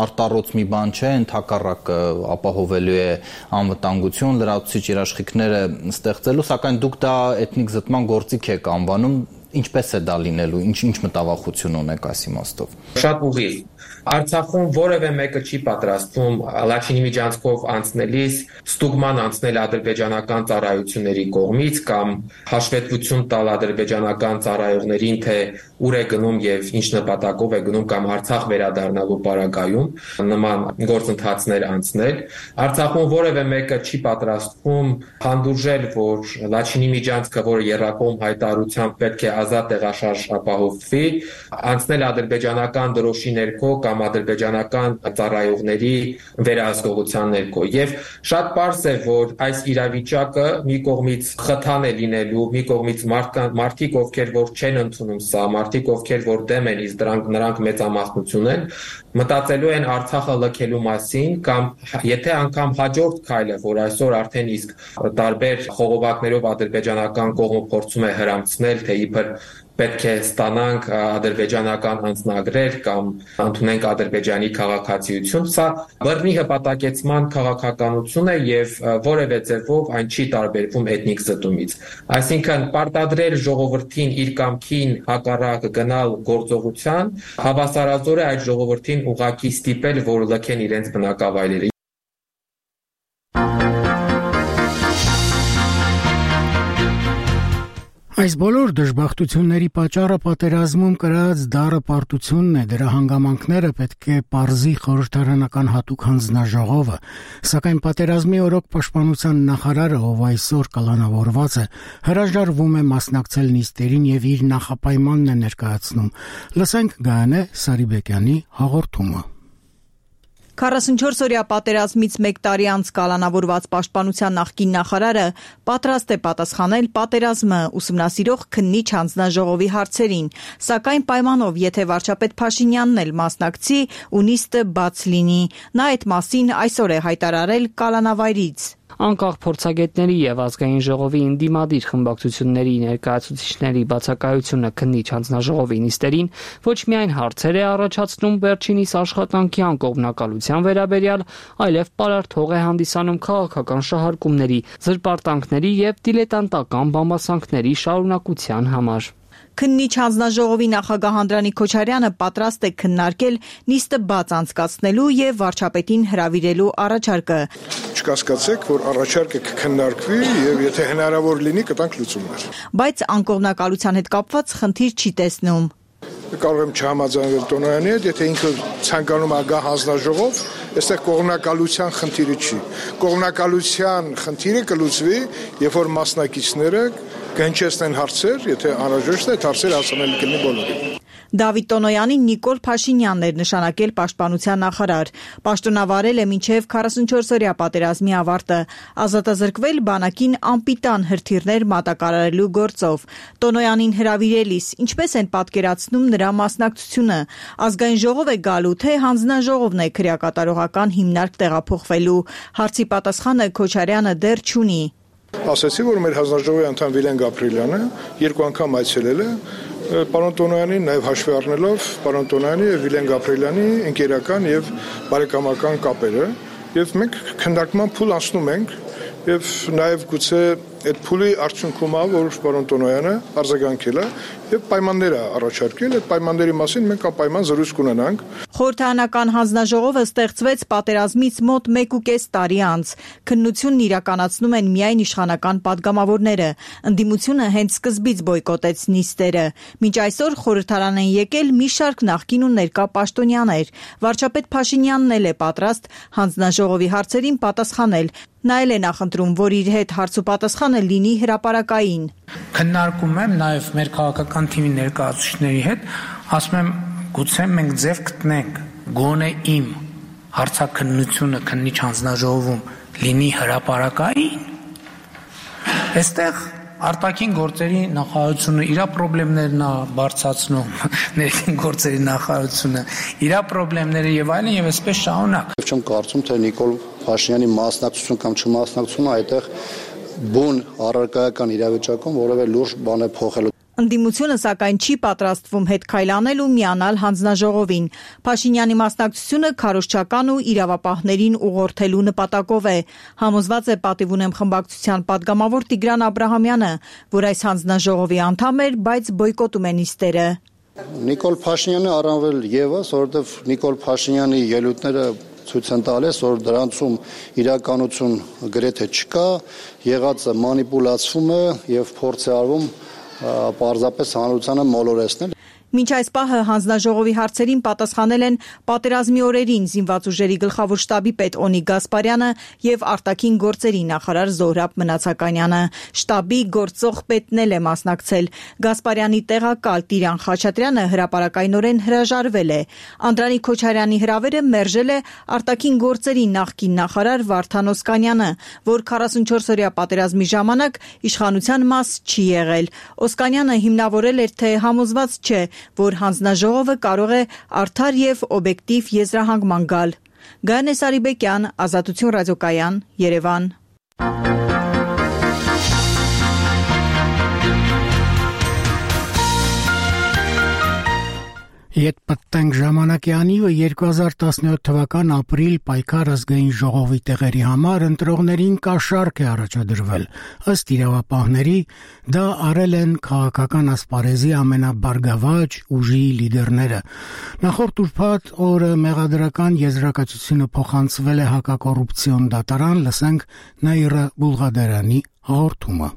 արտառոց մի բան չէ, ընդհակառակը ապահովելու է անվտանգություն, լրացուցիչ երաշխիքները ստեղծելու, սակայն դուք դա էթնիկ զտման գործիք եք անվանում, ինչպես է դա լինելու, ինչ մտավախություն ունեք այս իմաստով։ Շատ ուղիղ։ Արցախում որևէ մեկը չի պատրաստվում Լաչինի միջանցքով անցնելիս ստուգման անցնել ադրբեջանական ծառայությունների կողմից կամ հաշվետվություն տալ ադրբեջանական ծառայողներին, թե ուր է գնում եւ ինչ նպատակով է գնում կամ Արցախ վերադառնալու պարագայում նման գործընթացներ անցնել։ Արցախում որևէ մեկը չի պատրաստվում հանդուրժել, որ Լաչինի միջանցքը, որը եռակողմ հայտարարությամբ պետք է ազատ տեղաշարժ ապահովվի, անցնել ադրբեջանական դրոշի ներքո կամ ադրբեջանական ծառայողների վերահսկողության ներքո։ Եվ շատ պարզ է, որ այս իրավիճակը մի կողմից խթան է լինելու, մի կողմից մարդիկ, ովքեր որ չեն ընդունում սա, մարդիկ, ովքեր որ դեմ են, իսկ նրանք մեծամասնություն են, մտածելու են Արցախը լքելու մասին, կամ եթե անգամ հաջորդ քայլը, որ այսօր արդեն իսկ տարբեր խողովակներով ադրբեջանական կողմը փորձում է հրամցնել, թե իբր պետք է ստանանք ադրբեջանական անձնագրեր կամ ընդունենք Ադրբեջանի քաղաքացիություն, սա բռնի հպատակեցման քաղաքականություն է եւ որևէ ձևով այն չի տարբերվում էթնիկ զտումից։ Այսինքն պարտադրել ժողովրդին իր կամքին հակառակ գնալ գործողության, հավասարազոր է այդ ժողովրդին ուղղակի ստիպել, որ լքեն իրենց բնակավայրերը։ Այս բոլոր դժբախտությունների պատճառը պատերազմում կրած դառը պարտությունն է, դրա հանգամանքները պետք է պարզի խորհրդարանական հատուկ հանձնաժողովը, սակայն պատերազմի օրոք պաշտպանության նախարարը, ով այսօր կալանավորված է, հրաժարվում է մասնակցել նիստերին եւ իր նախապայմանն է ներկայացնում։ Լսենք Գայանե Սարիբեկյանի հաղորդումը։ 44-օրյա պատերազմից 1 տարի անց կալանավորված պաշտպանության նախկին նախարարը պատրաստ է պատասխանել պատերազմը ուսումնասիրող քննիչ հանձնաժողովի հարցերին, սակայն պայմանով, եթե վարչապետ Փաշինյանն էլ մասնակցի ու նիստը բաց լինի։ Նա այդ մասին այսօր է հայտարարել կալանավայրից։ Անկախ փորձագետների եւ ազգային ժողովի ընդդիմադիր խմբակցությունների ներկայացուցիչների բացակայությունը քննիչ հանձնաժողովի նիստերին ոչ միայն հարցեր է առաջացնում վերջինիս աշխատանքի անկողմնակալության վերաբերյալ, այլև պարարտ հող է հանդիսանում քաղաքական շահարկումների, զրպարտանքների եւ դիլետանտական բամբասանքների շարունակության համար։ Քննիչ հանձնաժողովի նախագահ Անդրանիկ Քոչարյանը պատրաստ է քննարկել նիստը բաց անցկացնելու եւ վարչապետին հրավիրելու առաջարկը։ Չկասկածեք, որ առաջարկը կքննարկվի եւ եթե հնարավոր լինի կտանք լուծումներ։ Բայց անկողմնակալության հետ կապված խնդիր չի տեսնում։ Կարող եմ չհամաձայնել Տոնոյանի հետ, եթե ինքը ցանկանում ագահ հանձնաժողով, այստեղ կողմնակալության խնդիրը չի։ Կողմնակալության խնդիրը կլուծվի, երբ որ մասնակիցները կհնչեցնեն հարցեր, եթե անհրաժեշտ է, հարցեր հասանելի կլինի բոլորին։ Դավիթ Տոնոյանին Նիկոլ Փաշինյանն էր նշանակել պաշտպանության նախարար։ Պաշտոնավարել է մինչև 44-օրյա պատերազմի ավարտը, ազատազրկվել բանակին անպիտան հրթիռներ մատակարարելու գործով։ Տոնոյանին հրավիրելիս ինչպես են պատկերացնում նրա մասնակցությունը։ Ազգային ժողով է գալու, թե հանձնաժողովն է քրեակատարողական հիմնարկ տեղափոխվելու։ Հարցի պատասխանը Քոչարյանը դեռ չունի։ Ասացի, որ մեր հանձնաժողովի անդամ Վիլեն Գաբրիելյանը 2 անգամ այցելել է պարոն Տոնոյանին նաև հաշվի առնելով պարոն Տոնոյանի եւ Վիլեն Գաբրիելյանի ընկերական եւ բարեկամական կապերը եւ մենք քննարկման փուլ անցնում ենք եւ նաեւ գուցե այդ փուլի արդյունքում որ պարոն Տոնոյանը արձագանքել է եւ պայմաններ առաջարկել, այդ պայմանների մասին մենք անպայման զրույց կունենանք։ Խորհրդարանական հանձնաժողովը ստեղծվեց պատերազմից մոտ 1.5 տարի անց։ Քննությունն իրականացնում են միայն իշխանական падգամավորները։ Ընդդիմությունը հենց սկզբից բոյկոտեց նիստերը։ Մինչ այսօր խորհրդարան են եկել մի շարք նախկին ու ներկա պաշտոնյաներ։ Վարչապետ Փաշինյանն էլ է պատրաստ հանձնաժողովի հարցերին պատասխանել։ Նա էլ է նախընտրում, որ իր հետ հարց ու պատասխանը լինի հրապարակային։ Քննարկում եմ նաև մեր քաղաքական թիմի ներկայացուցիչների հետ, ասում եմ, գուցե մենք ձև գտնենք, գոնե իմ հարցաքննությունը քննիչ հանձնաժողովում լինի հրապարակային։ Այստեղ արտաքին գործերի նախարարությունը իր խնդիրներն է բարձրացնում, ներքին գործերի նախարարությունը իր խնդիրները եւ այլն եւ այսպես շարունակ։ Չեմ կարծում, թե Նիկոլ Փաշինյանի մասնակցություն կամ չմասնակցությունը այդտեղ բուն առարկայական իրավիճակում որևէ լուրջ բան է փոխել։ Ընդդիմությունը սակայն չի պատրաստվում հետ քայլանել ու միանալ հանձնաժողովին։ Փաշինյանի մասնակցությունը քարոզչական ու իրավապահներին ուղղորդելու նպատակով է։ Համոզված է պատիվ ունեմ խմբակցության падգամավոր Տիգրան Աբրահամյանը, որ այս հանձնաժողովի անդամ էր, բայց բոյկոտում է նիստերը։ Նիկոլ Փաշինյանը առավել եւս, որովհետեւ Նիկոլ Փաշինյանի ելույթները ցույց են տալիս, որ դրանցում իրականություն գրեթե չկա, եղածը մանիպուլացվում է եւ փորձ է արվում պարզապես հանրությանը մոլորեցնել։ Մինչ այս պահը հանձնաժողովի հարցերին պատասխանել են պատերազմի օրերին զինված ուժերի գլխավոր շտաբի պետ Օնի Գասպարյանը եւ արտաքին գործերի նախարար Զոհրաբ Մնացականյանը։ Շտաբի գործող պետն էլ է մասնակցել։ Գասպարյանի տեղակալ Տիրան Խաչատրյանը հրապարակայնորեն հրաժարվել է։ Անդրանիկ Քոչարյանի հրավերը մերժել է արտաքին գործերի նախկին նախարար Վարդան Օսկանյանը, որ 44-օրյա պատերազմի ժամանակ իշխանության մաս չի եղել։ Օսկանյանը հիմնավորել էր, թե համոզված չէ, որ հանձնաժողովը կարող է արդար եւ օբյեկտիվ եզրահանգման գալ։ Գայանե Սարիբեկյան, Ազատություն ռադիոկայան, Երևան։ Ետ պատտենք ժամանակյանի ու 2017 թվական ապրիլ պայքար ազգային ժողովի տեղերի համար ընտրողներին կաշառք է առաջադրվել։ Ըստ իրավապահների դա արել են քաղաքական ասպարեզի ամենաբարգավաճ ուժի լիդերները։ Նախորդ ուրբաթ օրը մեղադրական եզրակացությունը փոխանցվել է հակակոռուպցիոն դատարան, լսենք Նաիրա Բուլղադարյանի հաղորդումը։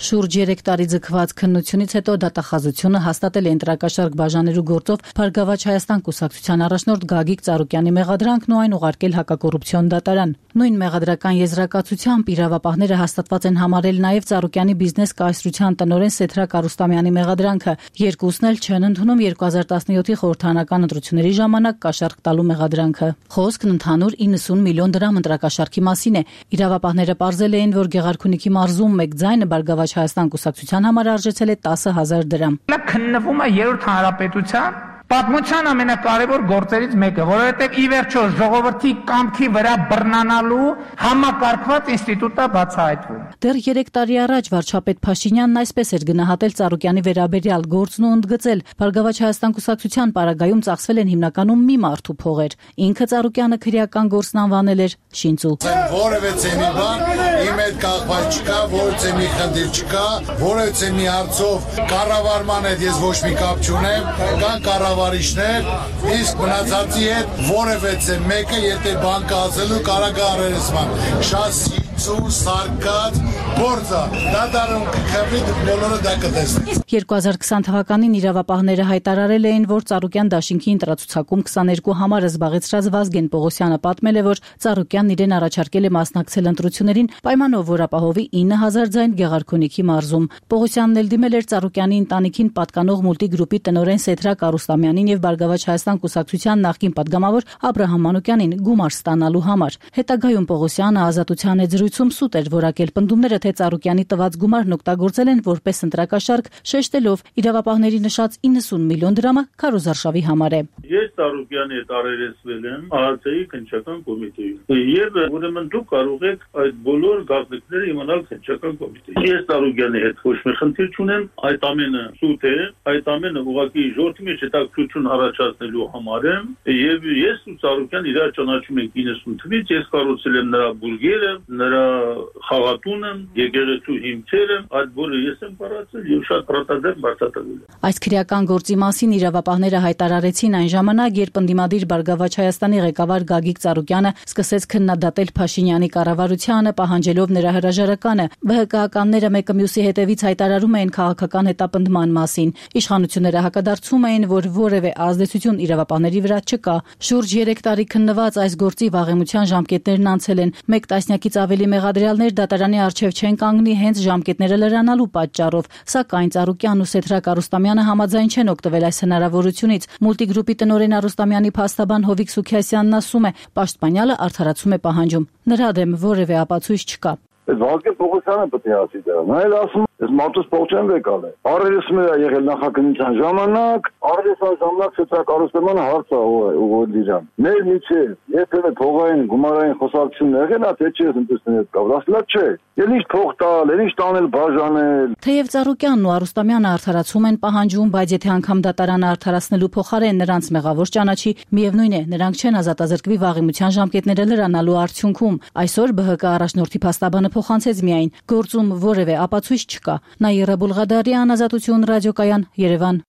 Շուրջ 3 տարի ձգված քննությունից հետո դատախազությունը հաստատել է ընտրակաշառք բաժանելու գործով Բարգավաճ Հայաստան կուսակցության առաջնորդ Գագիկ Ծառուկյանի մեղադրանքն ու այն ուղարկել հակակոռուպցիոն դատարան։ Նույն մեղադրական եզրակացությամբ իրավապահները հաստատված են համարել նաև Ծառուկյանի բիզնես կայսրության տնօրեն Սեթրակ Արուստամյանի մեղադրանքը։ Երկուսն էլ չեն ընդունում 2017-ի խորհրդարանական ընտրությունների ժամանակ կաշառք տալու մեղադրանքը։ Խոսքն ընդհանուր 90 միլիոն դրամ ընտրակաշառքի մասին է։ Իրավապահները պարզել էին, որ Գեղարքունիքի մարզում մեկ ձայնը Բարգավաճ Հայաստան կուսակցության համար արժեցել է 10,000 դրամ։ Նա քննվում է երրորդ հանրապետության պատմության ամենակարևոր գործերից մեկը, որովհետև ի վերջո ժողովրդի կամքի վրա բռնանալու համակարգված ինստիտուտը բացահայտվում։ Դեռ 3 տարի առաջ վարչապետ Փաշինյանն այսպես էր գնահատել Ծառուկյանի վերաբերյալ գործն ու ընդգծել. Բարգավաճ Հայաստան կուսակցության պարագայում ծախսվել են հիմնականում մի մարդու փողեր։ Ինքը Ծառուկյանը քրեական գործն անվանել էր շինծու։ Որևէ մի բան իմ հետ կապված չկա, որևէ մի խնդիր չկա, որևէ մի հարցով կառավարման հետ ես ոչ մի կապ չունեմ, կան կառավարիչներ, իսկ մնացածի հետ որևէ մեկը եթե բան կասելու կարող է առերեսման։ Շատ սարկած գործը դատարանում կխմի բոլորը դա կտեսնի։ 2020 թվականին իրավապահները հայտարարել էին, որ Ծառուկյան դաշինքի ընտրացուցակում 22 համարը զբաղեցրած Վազգեն Պողոսյանը պատմել է, որ Ծառուկյանն իրեն առաջարկել է մասնակցել ընտրություններին պայմանով, որ ապահովի 9000 ձայն Գեղարքունիքի մարզում։ Պողոսյանն էլ դիմել էր Ծառուկյանի ընտանիքին պատկանող մուլտիգրուպի տնօրեն Սեթրակ Արուստամյանին եւ Բարգավաճ Հայաստան կուսակցության նախկին падգամավոր Աբրահամ Մանուկյանին գումար ստանալու համար։ Հետագայում Պողոսյանը Ազատության հետ զրույցում սուտ էր որակել պնդումները թե Ծառուկյանի տված գումարն օգտագործել են որպես ընտրակաշարք, շեշտելով իրավապահների նշած 90 միլիոն դրամը քարոզարշավի համար է։ Ես Ծառուկյանի հետ առերեսվել եմ ԱՀՑ-ի քննչական կոմիտեում։ Եվ ուրեմն դուք կարող եք այդ բոլոր գաղտնիքները իմանալ քննչական կոմիտեից։ Ես Ծառուկյանի հետ ոչ մի խնդիր չունեմ, այդ ամենը սուտ է, այդ ամենը ուղղակի ժողովրդի մեջ հետաքրքրություն առաջացնելու համար է, եւ ես ու Ծառուկյան իրար ճանաչում ենք 90 թվականից, ես կառուցել եմ նրա բուրգերը, նրա խաղատունը, եկեղեցու հիմքերը, այդ բոլորը ես եմ կառուցել եւ շատ պարտադեմ բացատրել։ Այս քրեական գործի մասին իրավապահները հայտարարեցին այն ժամանակ, երբ ընդդիմադիր Բարգավաճ Հայաստանի ղեկավար Գագիկ Ծառուկյանը սկսեց քննադատել Փաշինյանի կառավարությանը, պահանջելով նրա հրաժարականը։ ԲՀԿ-ականները մեկը մյուսի հետևից հայտարարում էին քաղաքական հետապնդման մասին։ Իշխանությունները հակադարձում էին, որ որևէ ազդեցություն իրավապահների վրա չկա։ Շուրջ 3 տարի քննված այս գործի վաղեմության ժամկետներն անցել են։ Մեկ տասնյակից ավելի մեղադրյալներ դատարանի առջև չեն կանգնի հենց ժամկետները լրանալու պատճառով, սակայն Ծառուկյանն ու Սեթրակ Արուստամյանը համաձայն չեն օգտվել այս հնարավորությունից։ Մուլտիգրուպի տնօրեն Արուստամյանի փաստաբան Հովիկ Սուքիասյանն ասում է, պաշտպանյալը արդարացում է պահանջում։ Նրա դեմ որևէ ապացույց չկա։ Վազգեն Պողոսյանը պետք է ասի դա։ Նա էլ ասում է, ես մարդուս փող չեմ վեկալ է։ Առերեսում է եղել նախաքննության ժամանակ, առերեսան ժամանակ Սեթրակ Արուստամյանը հարց է ուղղել իրան։ Մեր միջև եթե փողային գումարային խոսակցություն եղել, թե չի ընտրություններ կա։ Ասլա չէ։ Էլ ինչ փող տալ, էլ ինչ տանել բաժանել։ Թեև Ծառուկյանն ու Արուստամյանը արդարացում են պահանջում, բայց եթե անգամ դատարանը արդարացնելու փոխարեն նրանց մեղավոր ճանաչի, միևնույն է, նրանք չեն ազատազրկվի վաղեմության ժամկետները լրանալու արդյունքում։ Այսօր ԲՀԿ առաջնորդի փաստաբանը փոխանցեց միայն գործում որևէ ապացույց չկա։ Նաիրա Բուլղադարյան, Ազատություն ռադիոկայան, Երևան։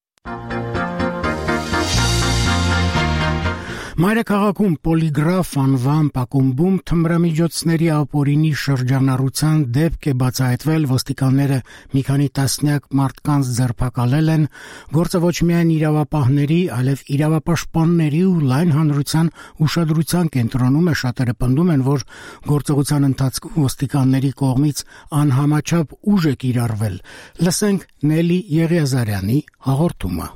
Մայրաքաղաքում Պոլիգրաֆ անվան ակումբում թմրամիջոցների ապօրինի շրջանառության դեպք է բացահայտվել, ոստիկանները մի քանի տասնյակ մարդկանց ձերբակալել են, գործը ոչ միայն իրավապահների, այլև իրավապաշտպանների ու լայն հանրության ուշադրության կենտրոնում է, շատերը պնդում են, որ գործողության ընթացքում ոստիկանների կողմից անհամաչափ ուժ է կիրառվել։ Լսենք Նելի Եղիազարյանի հաղորդումը։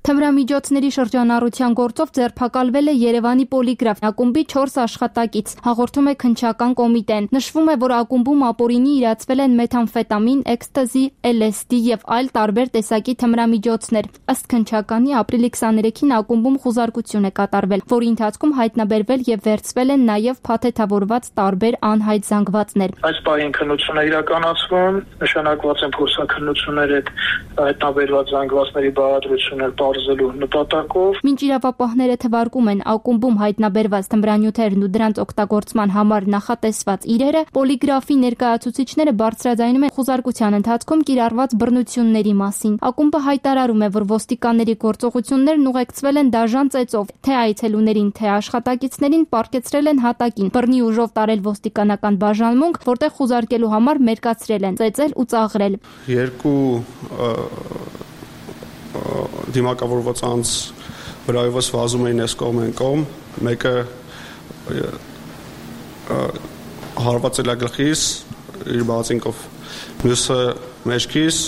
Թմրամիջոցների շրջանառության գործով ձերբակալվել է Երևանի Պոլիգրաֆ ակումբի 4 աշխատակից, հաղորդում է քննչական կոմիտեն։ Նշվում է, որ ակումբում ապօրինի իրացվել են մեթամֆետամին, էքստազի, LSD եւ այլ տարբեր տեսակի թմրամիջոցներ։ Ըստ քննչականի ապրիլի 23-ին ակումբում խուզարկություն է կատարվել, որի ընթացքում հայտնաբերվել եւ վերցվել են նաեւ փաթեթավորված տարբեր անհայտ զանգվածներ։ Այս պահին քննություն է իրականացվում, նշանակված են փորձաքննություններ հետ հայտնաբերված զանգվածների բաղադրությունը բարձելու նպատակով։ Մինչ իրավապահները թվարկում են ակումբում հայտնաբերված թմրանյութերն ու դրանց օգտագործման համար նախատեսված իրերը, Պոլիգրաֆի ներկայացուցիչները բարձրաձայնում են խուզարկության ընթացքում կիրառված բռնությունների մասին։ Ակումբը հայտարարում է, որ ոստիկանների գործողություններն ուղեկցվել են դաժան ծեծով, թե այցելուներին, թե աշխատակիցներին պառկեցրել են հատակին, բռնի ուժով տարել ոստիկանական բաժանմունք, որտեղ խուզարկելու համար մերկացրել են, ծեծել ու ծաղրել։ Երկու դիմակավորված անձ վրայովս վազում էին այս կողմ են կողմ, մեկը հարվածել է գլխիս իր բացինքով, մյուսը մեջքիս,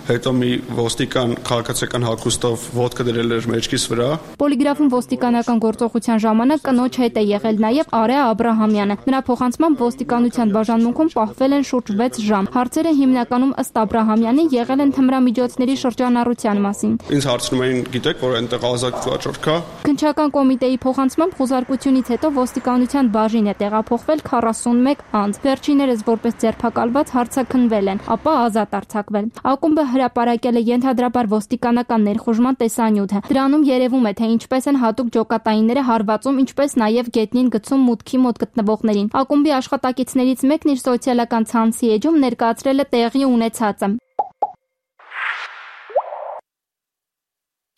հետո մի ոստիկան քաղաքացիական հագուստով ոտքը դրել էր մեջքիս վրա։ Պոլիգրաֆում ոստիկանական գործողության ժամանակ կնոջ հետ է եղել նաև Արեա Աբրահամյանը։ Նրա փոխանցմամբ ոստիկանության բաժանմունքում պահվել են շուրջ 6 ժամ։ Հարցերը հիմնականում ըստ Աբրահամյանի եղել են թմրամիջոցների շրջանառության մասին։ Ինձ հարցնում էին, գիտեք, որ այնտեղ ազատ վաճառք կա։ Քննչական կոմիտեի փոխանցմամբ խուզարկությունից հետո ոստիկանության բաժին է տեղափոխվել 41 անձ։ Վերջիններս որպես ձերբակալված հարցաքննվել են, ապա ազատ արձակվել։ Ակումբը հրապարակել է ենթադրաբար ոստիկանական ներխուժման տեսանյութը։ Դրանում երևում է, թե ինչպես են հատուկ ջոկատայինները հարվածում, ինչպես նաև գետնին գցում մուտքի մոտ գտնվողներին։ Ակումբի աշխատակիցներից մեկն իր սոցիալական ցանցի էջում ներկայացրել է տեղի ունեցածը։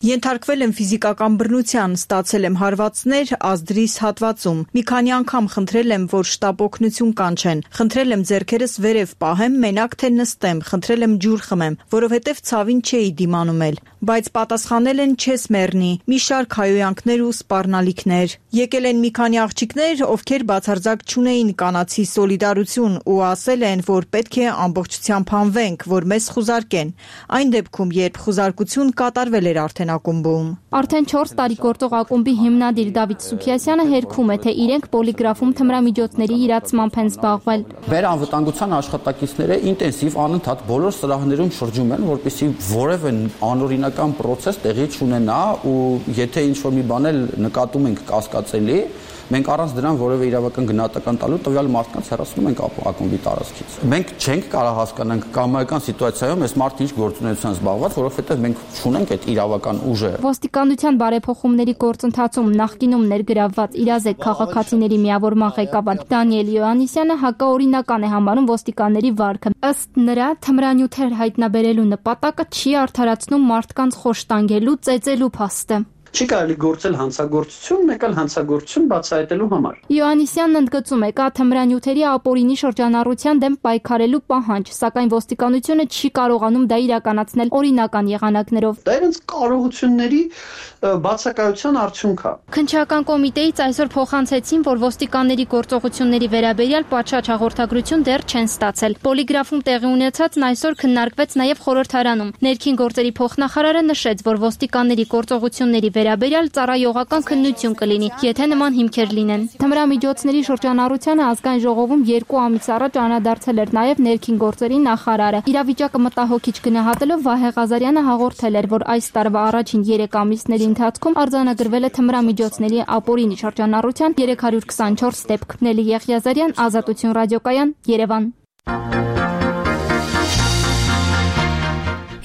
Ենթարկվել եմ ֆիզիկական բռնության, ստացել եմ հարվածներ ազդրիս հատվածում։ Մի քանի անգամ խնդրել եմ, որ շտապ օգնություն կանչեն։ Խնդրել եմ ձեռքերս վերև պահեմ, մենակ թե նստեմ, խնդրել եմ ջուր խմեմ, որովհետև ցավին չէի դիմանում էլ։ Բայց պատասխանել են չես մեռնի, մի շարք հայոյանքներ ու սպառնալիքներ։ Եկել են մի քանի աղջիկներ, ովքեր բացարձակ չունեին կանացի սոլիդարություն ու ասել են, որ պետք է ամբողջությամբ հանվենք, որ մեզ խուզարկեն։ Այն դեպքում, երբ խուզարկություն կատարվել էր արդեն ակումբում։ Արդեն 4 տարի գործող ակումբի հիմնադիր Դավիթ Սուքիասյանը հերքում է, թե իրենք պոլիգրաֆում թմրամիջոցների իրացմամբ են զբաղվել։ Վերանվտանգության աշխատակիցները ինտենսիվ անընդհատ բոլոր սրահներում շրջում են, որպեսզի որևէ անօրինական process տեղի չունենա ու եթե ինչ-որ մի բան էլ նկատում ենք կասկածելի, մենք առանց դրան որևէ իրավական գնահատական տալու տվյալ մարդկանց հեռացնում ենք ակումբի տարածքից։ Մենք չենք կարող հասկանանք կամայական սիտուացիայում այս մարդը ինչ գործունեությամբ զբաղված, որովհետև մենք չունենք այդ իրավական ուժը։ Ոստիկանության բարեփոխումների գործընթացում նախկինում ներգրավված իրազեկ քաղաքացիների միավորման ղեկավար Դանիել Յոհաննիսյանը հակաօրինական է համարում ոստիկանների վարքը։ Ըստ նրա, թմրանյութեր հայտնաբերելու նպատակը չի արդարացնում մարդկանց խոշտանգելու, ծեծելու փաստը։ Չի կարելի գործել հանցագործություն, մեկ էլ հանցագործություն բացահայտելու համար։ Յոհաննիսյանն ընդգծում է, կա թմրանյութերի ապօրինի շրջանառության դեմ պայքարելու պահանջ, սակայն ոստիկանությունը չի կարողանում դա իրականացնել օրինական եղանակներով։ Դա իրենց կարողությունների բացակայության արդյունք է։ Քննչական կոմիտեից այսօր փոխանցեցին, որ ոստիկանների գործողությունների վերաբերյալ պատշաճ հաղորդագրություն դեռ չեն ստացել։ Պոլիգրաֆում տեղի ունեցածն այսօր քննարկվեց նաև խորհրդարանում։ Ներքին գործերի փոխնախարարը նշեց, որ ոստիկանների գործողությունների վերաբերյալ ծառայողական քննություն կլինի, եթե նման հիմքեր լինեն։ Թմրամիջոցների շրջանառությանը ազգային ժողովում 2 ամիս առաջ անդրադարձել էր նաև ներքին գործերի նախարարը։ Իրավիճակը մտահոգիչ գնահատելով Վահե Ղազարյանը հաղորդել էր, որ այս տարվա առաջին 3 ամիսների ընթացքում արձանագրվել է թմրամիջոցների ապօրինի շրջանառության 324 դեպք։ Նելի Եղիազարյան, Ազատություն ռադիոկայան, Երևան։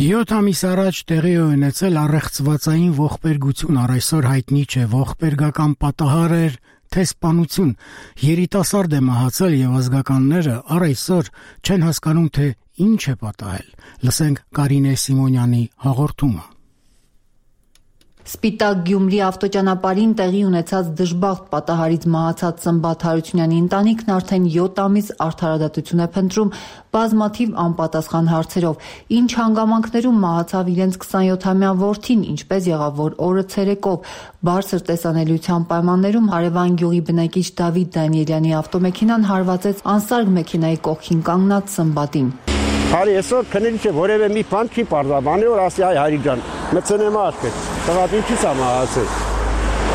7 ամիս առաջ տեղի ունեցել առեղծվածային ողբերգություն, առ այսօր հայտնի չէ ողբերգական պատահար էր, թե սպանություն։ Երիտասարդ է մահացել եւ ազգականները առ այսօր չեն հասկանում, թե ինչ է պատահել։ Լսենք Կարինե Սիմոնյանի հաղորդումը։ Սպիտակ Գյումրի ավտոճանապարհին տեղի ունեցած դժբախտ պատահարից մահացած Սմբատ Հարությունյանի ընտանիքն արդեն 7 ամիս արդարադատություն է փնտրում բազմաթիվ անպատասխան հարցերով։ Ինչ հանգամանքներում մահացավ իրենց 27-ամյա որդին, ինչպես եղավ, որ օրը ցերեկով բարձր տեսանելիության պայմաններում հարևան գյուղի բնակիչ Դավիթ Դանիելյանի ավտոմեքենան հարվածեց անսարք մեքենայի կողքին կանգնած Սմբատին։ Հարի այսօր քնելի չէ որևէ մի բան չի պարզաբանի, որ ասի այ Հարի ջան, մցնեմ աշկը։ Տղադ ինչի՞ս է մահացել։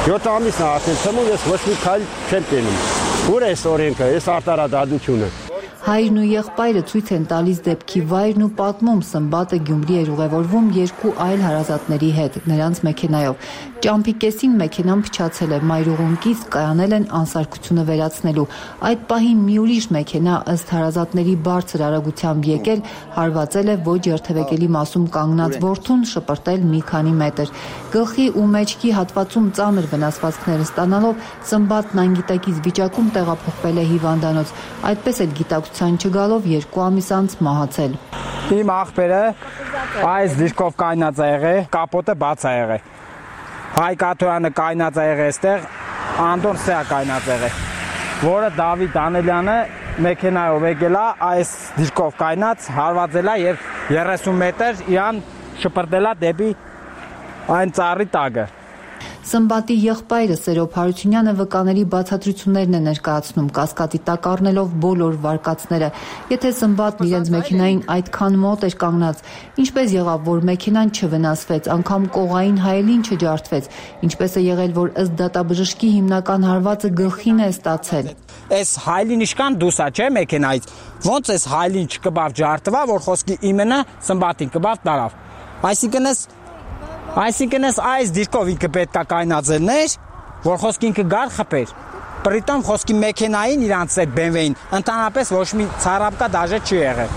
7 ամիսն է արդեն թվում, ես ոչ մի քայլ չեմ տենում։ Ուր է այս օրենքը, այս արտարադատությունը։ Հայրն ու եղբայրը ցույց են տալիս դեպքի վայրն ու պատմում Սմբատը Գյումրի էր ուղևորվում 2 այլ հարազատների հետ, նրանց մեքենայով։ Ճամփի կեսին մեքենան փչացել է, մայրուղունկից կայանել են անսարքությունը վերացնելու։ Այդ պահին մի ուրիշ մեքենա ըստ հարազատների բարձր արագությամբ եկել, հարվածել է ոչ երթևեկելի մասում կանգնած որդուն, շպրտել մի քանի մետր։ Գլխի ու մեջքի հատվածում ծանր վնասվածքներ ստանալով Սմբատն անգիտակից վիճակում տեղափոխվել է հիվանդանոց։ Այդպես էլ գիտակցության չգալով 2 ամիս անց մահացել։ Իմ աղբերը այս դիրքով կայնած է եղել, կապոտը բաց է եղել։ Հայկ Աթոյանը կայնած է եղել այստեղ, Անդոն Սեա կայնած է եղել, որը Դավիթ Դանիելյանը մեքենայով եկել է, այս դիրքով կայնած, հարվածել է եւ 30 մետր իրան շպրտել է դեպի այն ծառի տակը։ Սմբատի եղբայրը Սերոբ Հարությունյանը վկաների բացատրություններն է ներկայացնում, կասկածի տակ առնելով բոլոր վարկածները։ Եթե Սմբատն իրենց մեքենային այդքան մոտ էր կանգնած, ինչպես եղավ, որ մեքենան չվնասվեց, անգամ կողային հայելին չջարդվեց, ինչպես է եղել, որ ըստ դատաբժշկի հիմնական հարվածը գլխին է ստացել։ Այս հայելին իշքան դուսա չէ մեքենայից, ոնց այս հայելին չկբավ ջարդվա, որ խոսքի իմենը Սմբատին կբավ տարավ։ Այսինքն այս դիրքով ինքը պետք է կայնածելներ, որ խոսքի ինքը գար խփեր։ Պրիտոմ խոսքի մեքենային իրանց այդ BMW-ին ընդհանրապես ոչ մի ցարապկա դաժե չի եղել։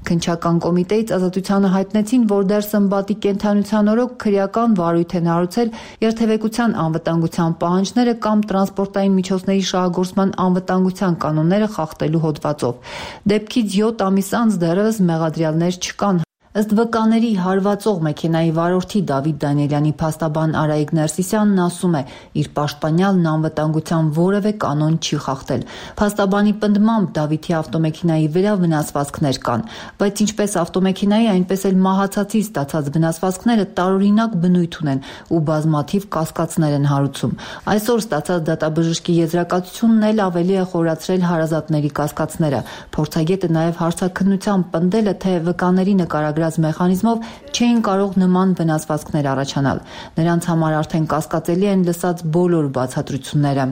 Քննչական կոմիտեից Ազատությանը հայտնեցին, որ դեռ Սմբատի կենդանության օրոք քրեական վարույթ են հարուցել երթևեկության անվտանգության պահանջները կամ տրանսպորտային միջոցների շահագործման անվտանգության կանոնները խախտելու հոդվածով։ Դեպքից 7 ամիս անց դեռևս մեղադրյալներ չկան։ Ըստ վկաների հարվածող մեքենայի վարորդի Դավիթ Դանիելյանի փաստաբան Արայիկ Ներսիսյանն ասում է, իր պաշտպանյալն անվտանգության որևէ կանոն չի խախտել։ Փաստաբանի պնդմամբ Դավիթի ավտոմեքենայի վրա վնասվածքներ կան, բայց ինչպես ավտոմեքենայի, այնպես էլ մահացածի ստացած վնասվածքները տարօրինակ բնույթ ունեն ու բազմաթիվ կասկածներ են հարուցում։ Այսօր ստացած դատաբժշկի եզրակացությունն էլ ավելի է խորացրել հարազատների կասկածները։ Փորձագետը նաև հարցաքննությամբ պնդել է, թե վկաների նկարագրած վերագրած մեխանիզմով չէին կարող նման վնասվածքներ առաջանալ։ Նրանց համար արդեն կասկածելի են լսած բոլոր բացատրությունները։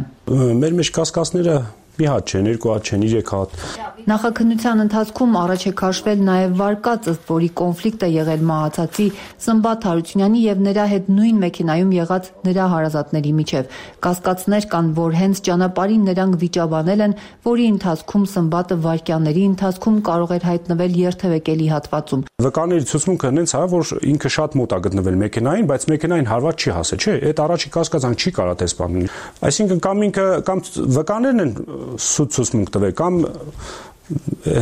Մեր մեջ կասկածները մի հատ չեն, երկու հատ չեն, 3 հատ։ Նախաքննության ընթացքում առաջ է քաշվել նաև վարկած, ըստ որի կոնֆլիկտ է եղել մահացածի Սմբատ Հարությունյանի եւ նրա հետ նույն մեքենայում եղած նրա հարազատների միջև։ Կասկածներ կան, որ հենց ճանապարհին նրանք վիճաբանել են, որի ընթացքում Սմբատը վայրկյանների ընթացքում կարող էր հայտնվել երթևեկելի հատվածում։ Վկաների ցուցմունքը հենց հա որ ինքը շատ մոտ է գտնվել մեքենային, բայց մեքենային հարված չի հասել, չէ՞։ Այդ առաջի կասկածանք չի կարա տեսնել։ Այսինքն կամ ինքը կամ վկաներն են սուտ ցուցմունք տվել կամ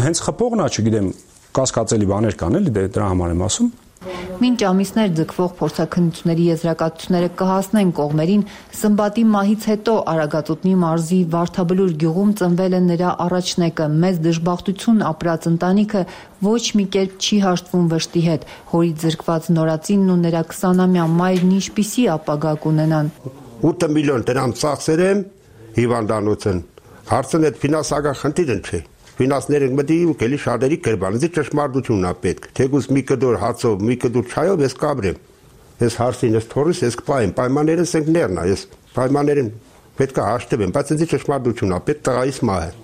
հենց խփողն է, չգիտեմ, կասկածելի բաներ կան էլի դրա համար եմ ասում։ Մինչ ամիսներ ձգվող փորձաքննությունների եզրակացությունները կհասնեն կողմերին, Սմբատի մահից հետո Արագածոտնի մարզի Վարդաբլուր գյուղում ծնվել է նրա առաջնեկը, մեծ դժբախտություն ապրած ընտանիքը ոչ մի կերպ չի հաշտվում վշտի հետ, հորից զրկված նորածինն ու նրա 20-ամյա մայրն ինչպիսի ապագա կունենան։ 8 միլիոն դրամ ծախսեր եմ հիվանդանոցն, հարցն այդ ֆինանսական խնդիրն չէ։ Ֆինանսները մտի ու կելի շատերի կերպանից ճշմարտությունն է պետք։ Թեկուզ մի կդոր հացով, մի կդոր չայով ես կաբրեմ։ Ես հարցին ես թորից ես կպայեմ, պայմաններս ենք ներնա, ես պայմաններին պետք է հաշտվեմ, բայց ինձ ճշմարտությունն է պետք տղայիս մահը։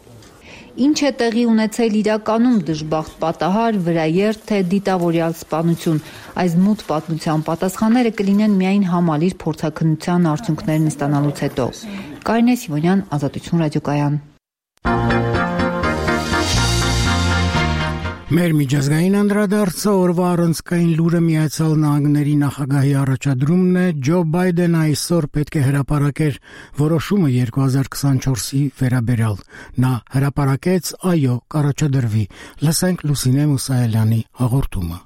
Ինչ է տեղի ունեցել իրականում դժբախտ պատահար, վրաերթ թե դիտավորյալ սպանություն։ Այս մութ պատմության պատասխանները կլինեն միայն համալիր փորձաքննության արդյունքներն ստանալուց հետո։ Կարինե Սիմոնյան, Ազատություն ռադիոկայան։ Մեր միջազգային անդրադարձը օրվա առանցքային լուրը Միացյալ Նահանգների նախագահի առաջադրումն է Ջո Բայդենը այսօր պետք է հրապարակեր որոշումը 2024-ի վերաբերյալ։ Նա հրապարակեց այո կառաջադրվի։ Լսենք Լուսինե Մուսայելյանի հաղորդումը։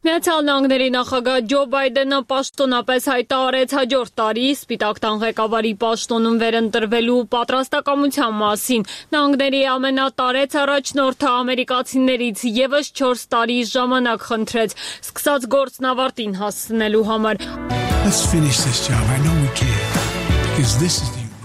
Միացյալ Նահանգների նախագահ Ջո Բայդենը պաշտոնապես հայտարարեց հաջորդ տարի Սպիտակ տան ղեկավարի պաշտոնում վերընտրվելու պատրաստակամության մասին։ Նահանգների ամենատարեց առաջնորդը ամերիկացիներից եւս 4 տարի ժամանակ խնդրեց, սկսած գործն ավարտին հասցնելու համար։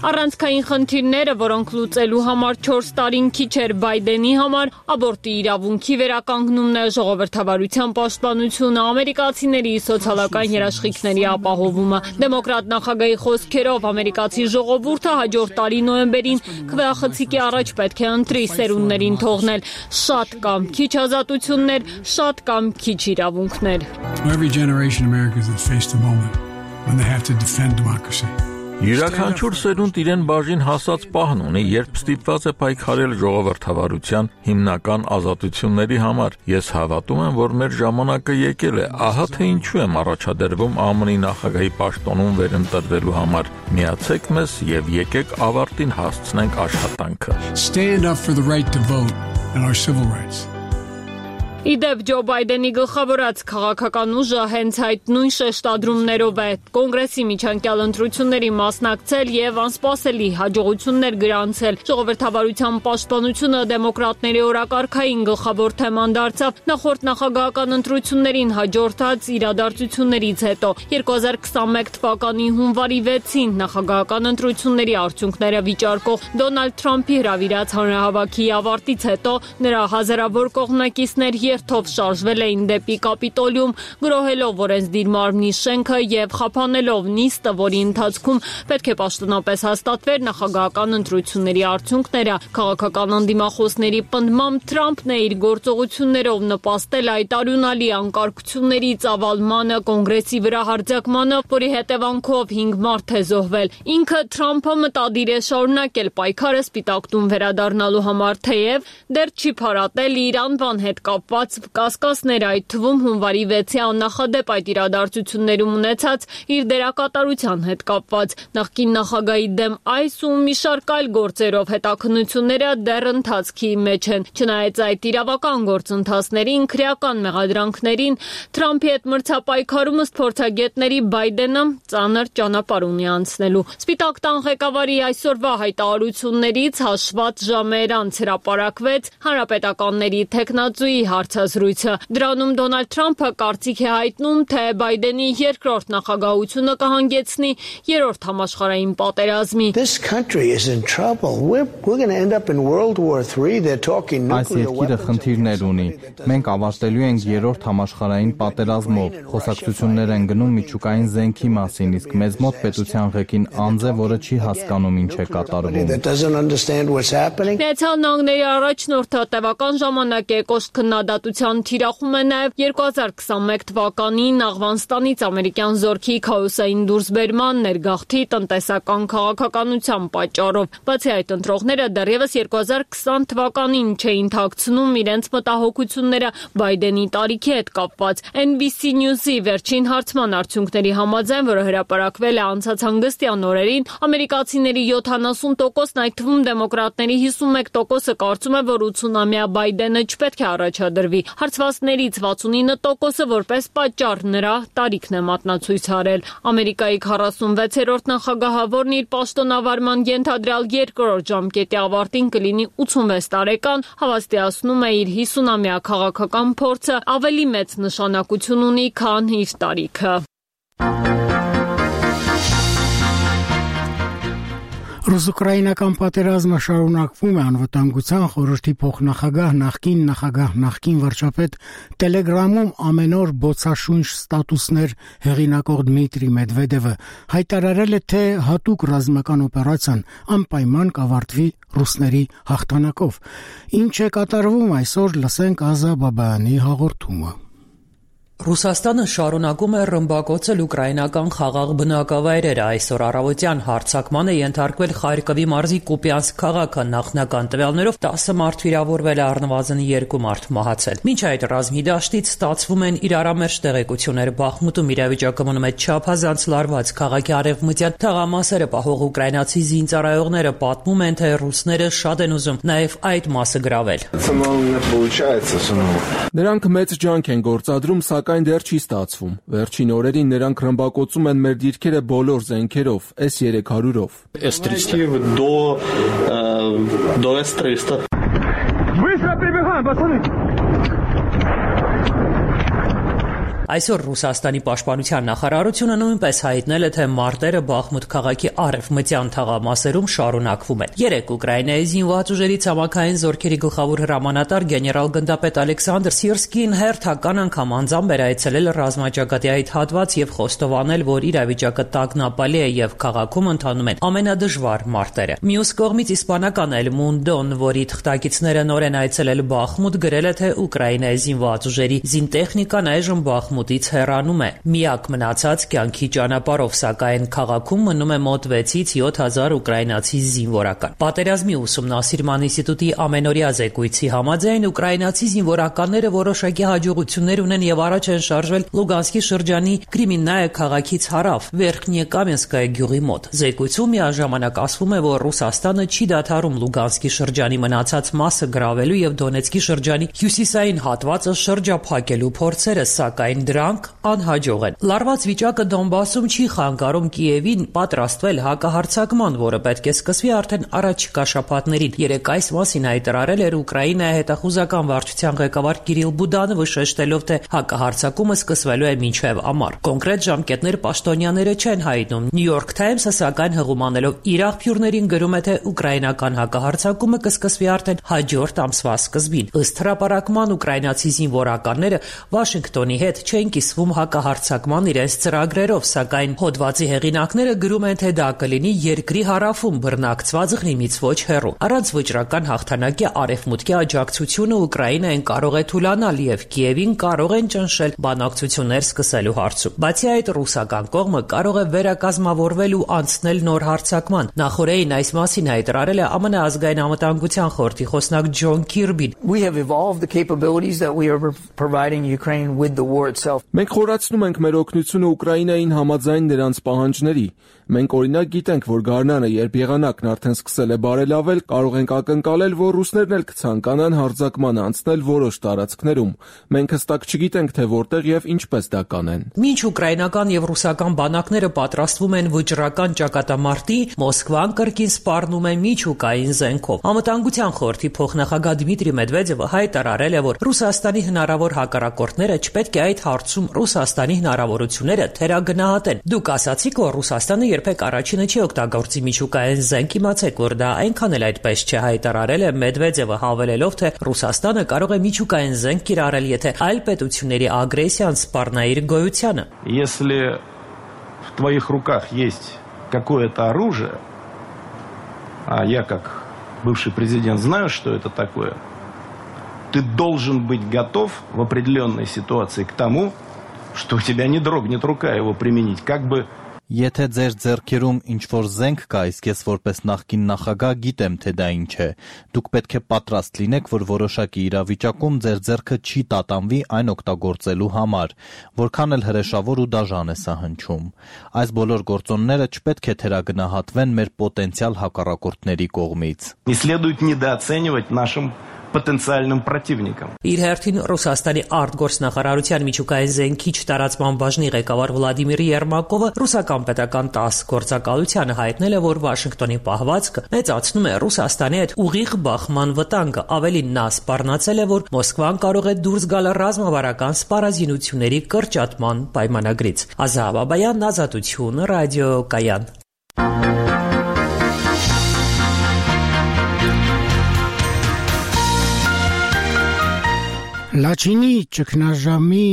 Առանցքային խնդիրները, որոնք լուծելու համար 4 տարին քիչ էր Բայդենի համար, աբորտի իրավունքի վերականգնումն է, ժողովրդավարության պաշտպանությունը, ամերիկացիների սոցիալական երաշխիքների ապահովումը։ Դեմոկրատ նախագահի խոսքերով ամերիկացի ժողովուրդը հաջորդ տարի նոյեմբերին քվեախցիկի առաջ պետք է ընտրի սերունդներին թողնել շատ կամ քիչ ազատություններ, շատ կամ քիչ իրավունքներ։ Յուրաքանչյուր սերունդ իրեն բաժին հասած պահն ունի, երբ ստիպված է պայքարել ժողովրդավարության հիմնական ազատությունների համար։ Ես հավատում եմ, որ մեր ժամանակը եկել է, ահա թե ինչու եմ առաջադրվում ԱՄՆ-ի նախագահի պաշտոնում վերընտրվելու համար։ Միացեք մեզ եւ եկեք ավարտին հասցնենք աշխատանքը։ Stand up for the right to vote and our civil rights. Իդեպ Ջո Բայդենի գլխավորած քաղաքական ուժը հենց այդ նույն շեշտադրումներով է կոնգրեսի միջանկյալ ընտրությունների մասնակցել եւ անսպասելի հաջողություններ գրանցել։ Ժողովրդավարության պաշտպանությունը դեմոկրատների օրակարգային գլխավոր թեման դարձավ նախորդ նախագահական ընտրություններին հաջորդած իրադարձություններից հետո։ 2021 թվականի հունվարի 6-ին նախագահական ընտրությունների արդյունքները վիճարկող Դոնալդ Թրամփի հրավիրած հանրահավաքի ավարտից հետո նրա հազարավոր կողմնակիցներ երթով շարժվել էին դեպի Կապիտոլիում, գրոհելով օրենսդիր մարմնի շենքը եւ խափանելով նիստը, որի ընթացքում պետք է պաշտոնապես հաստատվեր նախագահական ընտրությունների արդյունքները։ Քաղաքական անդիմախոսների պնդմամբ Թրամփն է իր գործողություններով նպաստել այդ արյունալի անկարգությունների ծավալմանը, կոնգրեսի վրա հարձակմանը, որի հետևանքով 5 մարդ է զոհվել։ Ինքը Թրամփը մտադիր է շարունակել պայքարը Սպիտակ տուն վերադառնալու համար, թեև դեռ չի փարատել իր անվան հետ կապված կասկածներ, այդ թվում հունվարի 6-ի աննախադեպ այդ իրադարձություններում ունեցած իր դերակատարության հետ կապված։ Նախկին նախագահի դեմ այս ու մի շարք այլ գործերով հետաքննությունները դեռ ընթացքի մեջ են։ Չնայած այդ իրավական գործընթացներին, քրեական մեղադրանքներին, Թրամփի հետ մրցապայքարում ըստ փորձագետների Բայդենը ծանր ճանապարհ ունի անցնելու։ Սպիտակ տան ղեկավարի այսօրվա հայտարարություններից հաշված ժամեր անց հրապարակվեց հանրապետականների թեկնածուի հարց հարցազրույցը։ Դրանում Դոնալդ Թրամփը կարծիք է հայտնում, թե Բայդենի երկրորդ նախագահությունը կհանգեցնի երրորդ համաշխարհային պատերազմի։ Այս երկիրը խնդիրներ ունի։ Մենք ավարտելու ենք երրորդ համաշխարհային պատերազմով։ Խոսակցություններ են գնում միջուկային զենքի մասին, իսկ մեզ մոտ պետության ղեկին անձ է, որը չի հասկանում ինչ է կատարվում։ Միացյալ Նահանգների առաջնորդը տևական ժամանակ է կոշտ քննադատության թիրախում է նաև 2021 թվականին Աֆղանստանից ամերիկյան զորքի քաոսային դուրսբերման ներգաղթի տնտեսական քաղաքականության պատճառով։ Բացի այդ, ընտրողները դեռևս 2020 թվականին չէին թաքցնում իրենց մտահոգությունները Բայդենի տարիքի հետ կապված։ NBC News-ի վերջին հարցման արդյունքների համաձայն, որը հրապարակվել է անցած հանգստյան օրերին, ամերիկացիների 70%-ն, այդ թվում դեմոկրատների 51%-ը կարծում է, որ 80-ամյա Բայդենը չպետք է առաջադրվի։ Հարցվածներից 69%-ը որպես պատճառ նրա տարիքն է մատնացույց արել։ Ամերիկայի 46-րդ նախագահը, որն իր պաշտոնավարման ենթադրյալ երկրորդ ժամկետի ավարտին կլինի 86 տարեկան, հավաստիացնում է իր 50-ամյա քաղաքական փորձը ավելի մեծ նշանակություն ունի, քան իր տարիքը։ Ռուս-ուկրաինական պատերազմը շարունակվում է։ Անվտանգության խորհրդի փոխնախագահ, նախկին վարչապետ Տելեգրամում ամեն օր բոցաշունչ ստատուսներ հեղինակող Դմիտրի Մեդվեդևը հայտարարել է, թե հատուկ ռազմական օպերացիան անպայման կավարտվի ռուսների հաղթանակով։ Ինչ է կատարվում այսօր, լսենք Ազա Բաբայանի հաղորդումը։ Ռուսաստանը շարունակում է ռմբակոծել ուկրաինական խաղաղ բնակավայրերը։ Այսօր առավոտյան հարձակման է ենթարկվել Խարկովի մարզի Կուպյանսկ քաղաքը։ Նախնական տվյալներով 10 մարդ վիրավորվել է, առնվազն 2 մարդ մահացել։ Մինչ այդ ռազմի դաշտից ստացվում են իրարամերժ տեղեկություններ։ Բախմուտում իրավիճակը մնում է չափազանց լարված։ Քաղաքի արևմտյան թաղամասերը պահող ուկրաինացի զինծառայողները պատմում են, թե ռուսները շատ են ուզում նաև այդ մասը գրավել։ Նրանք մեծ ջանք են գործադրում, սակայն դեռ չի ստացվում։ Վերջին օրերին նրանք ռմբակոծում են մեր դիրքերը բոլոր զենքերով, S-300-ով։ Быстро прибегаем, пацаны! Այսօր Ռուսաստանի պաշտպանության նախարարությունը նույնպես հայտնել է, թե մարտերը Բախմուտ քաղաքի արևմտյան թաղամասերում շարունակվում են։ Երեկ Ուկրաինայի զինված ուժերի ցամաքային զորքերի գլխավոր հրամանատար գեներալ-գնդապետ Ալեքսանդր Սիրսկին հերթական անգամ անձամբ էր այցելել ռազմաճակատի այդ հատված եւ խոստովանել, որ իրավիճակը տագնապալի է եւ քաղաքում ընթանում են ամենադժվար մարտերը։ Մյուս կողմից իսպանական El Mundo-ն, որի թղթակիցները նոր են այցելել Բախմուտ, գրել է, թե Ուկրաինայի զինված ուժերի զինտեխնիկան այժմ Բախմուտից հեռանում է։ Միակ մնացած կյանքի ճանապարհով, սակայն քաղաքում մնում է մոտ 6-ից 7,000 ուկրաինացի զինվորական։ Պատերազմի ուսումնասիրման ինստիտուտի ամենօրյա զեկույցի համաձայն ուկրաինացի զինվորականները որոշակի հաջողություններ ունեն եւ առաջ են շարժվել Լուգանսկի շրջանի Կրիմիննայե քաղաքից հարավ, Վերքնյեկամենսկայ գյուղի մոտ։ Զեկույցում միաժամանակ ասվում է, որ Ռուսաստանը չի դադարում Լուգանսկի շրջանի մնացած մասը գրավելու եւ Դոնեցկի շրջանի հյուսիսային հատվածը շրջափակելու փորձերը, սակայն դրանք անհաջող են։ Լարված վիճակը Դոնբասում չի խանգարում Կիևին պատրաստվել հակահարձակման, որը պետք է սկսվի արդեն առաջիկա շաբաթներին։ Երեկ այս մասին հայտարարել էր Ուկրաինայի հետախուզական վարչության ղեկավար Կիրիլ Բուդանովը, շեշտելով, թե հակահարձակումը սկսվելու է մինչև ամառ։ Կոնկրետ ժամկետներ պաշտոնյաները չեն հայտնում։ New York Times-ը սակայն հղումանելով իր աղբյուրներին գրում է, թե ուկրաինական հակահարձակումը կսկսվի արդեն հաջորդ ամսվա սկզբին։ Ըստ հրապարակման ուկրաինացի զինվորականները Վաշինգտոնի հետ չեն կիսվում հակահարձակման իրենց ծրագրերով, սակայն հոդվածի հեղինակները գրում են, թե դա կլինի երկրի հարավում բռնակցված Ղրիմից ոչ հեռու։ Առանց վճռական հաղթանակի արևմուտքի աջակցությունը Ուկրաինային կարող է թուլանալ եւ Կիևին կարող են ճնշել բանակցություններ սկսելու հարցում։ Բացի այդ, ռուսական կողմը կարող է վերակազմավորվել ու անցնել նոր հարձակման։ Նախորդին այս մասին հայտարարել է ԱՄՆ ազգային անվտանգության խորհրդի խոսնակ Ջոն Քիրբին։ We have evolved the capabilities that we are providing Ukraine with the war itself. Մենք խորացնում ենք մեր օգնությունը Ուկրաինային համաձայն նրանց պահանջների։ Մենք օրինակ գիտենք, որ գարնանը, երբ եղանակն արդեն սկսել է բարելավել, կարող ենք ակնկալել, որ ռուսներն էլ կցանկանան հարձակման անցնել որոշ տարածքներում։ Մենք հստակ չգիտենք, թե որտեղ եւ ինչպես դա կանեն։ Մինչ ուկրաինական եւ ռուսական բանակները պատրաստվում են վճռական ճակատամարտի, Մոսկվան կրկին սպառնում է միջուկային զենքով։ Անվտանգության խորհրդի փոխնախագահ Դմիտրի Մեդվեդևը հայտարարել է, որ Ռուսաստանի հնարավոր հակառակորդները չպետք է այդ հարցում Ռուսաստանի հնարավորությունները թերագնահատեն։ Դուք ասացիք, որ Ռուսաստանը երբեք առաջինը չի օգտագործի միջուկային զենք, իմացեք, որ դա այնքան էլ այդպես չէ, հայտարարել է Մեդվեդևը, հավելելով, թե Ռուսաստանը կարող է միջուկային զենք կիրառել, եթե այլ պետությունների ագրեսիան սպառնա իր գոյությանը։ Если в твоих руках есть какое-то оружие, а я как бывший президент знаю, что это такое, ты должен быть готов в определенной ситуации к тому, что у тебя не дрогнет рука его применить, как бы. Եթե ձեր ձեռքերում ինչ-որ զենք կա, իսկ ես որպես նախկին նախագահ գիտեմ, թե դա ինչ է, դուք պետք է պատրաստ լինեք, որ որոշակի իրավիճակում ձեր ձեռքը չի տատանվի այն օգտագործելու համար, որքան էլ հրեշավոր ու դաժան է սա հնչում։ Այս բոլոր գործոնները չպետք է թերագնահատվեն մեր պոտենցիալ հակառակորդների կողմից։ Не следует недооценивать нашим потенциальным противникам. Իր հերթին Ռուսաստանի արտգործնախարարության միջուկային զենքի տարածման բաժնի ղեկավար Վլադիմիր Երմակովը ռուսական պետական 10 գործակալությանը հայտնել է, որ Վաշինգտոնի պահվածքը մեծացնում է Ռուսաստանի հետ ուղիղ բախման վտանգը։ Ավելին նա սպառնացել է, որ Մոսկվան կարող է դուրս գալ ռազմավարական սպառազինությունների կրճատման պայմանագրից։ Ազա Բաբայան, Ազատություն, ռադիոկայան։ Լաչինի ճգնաժամի,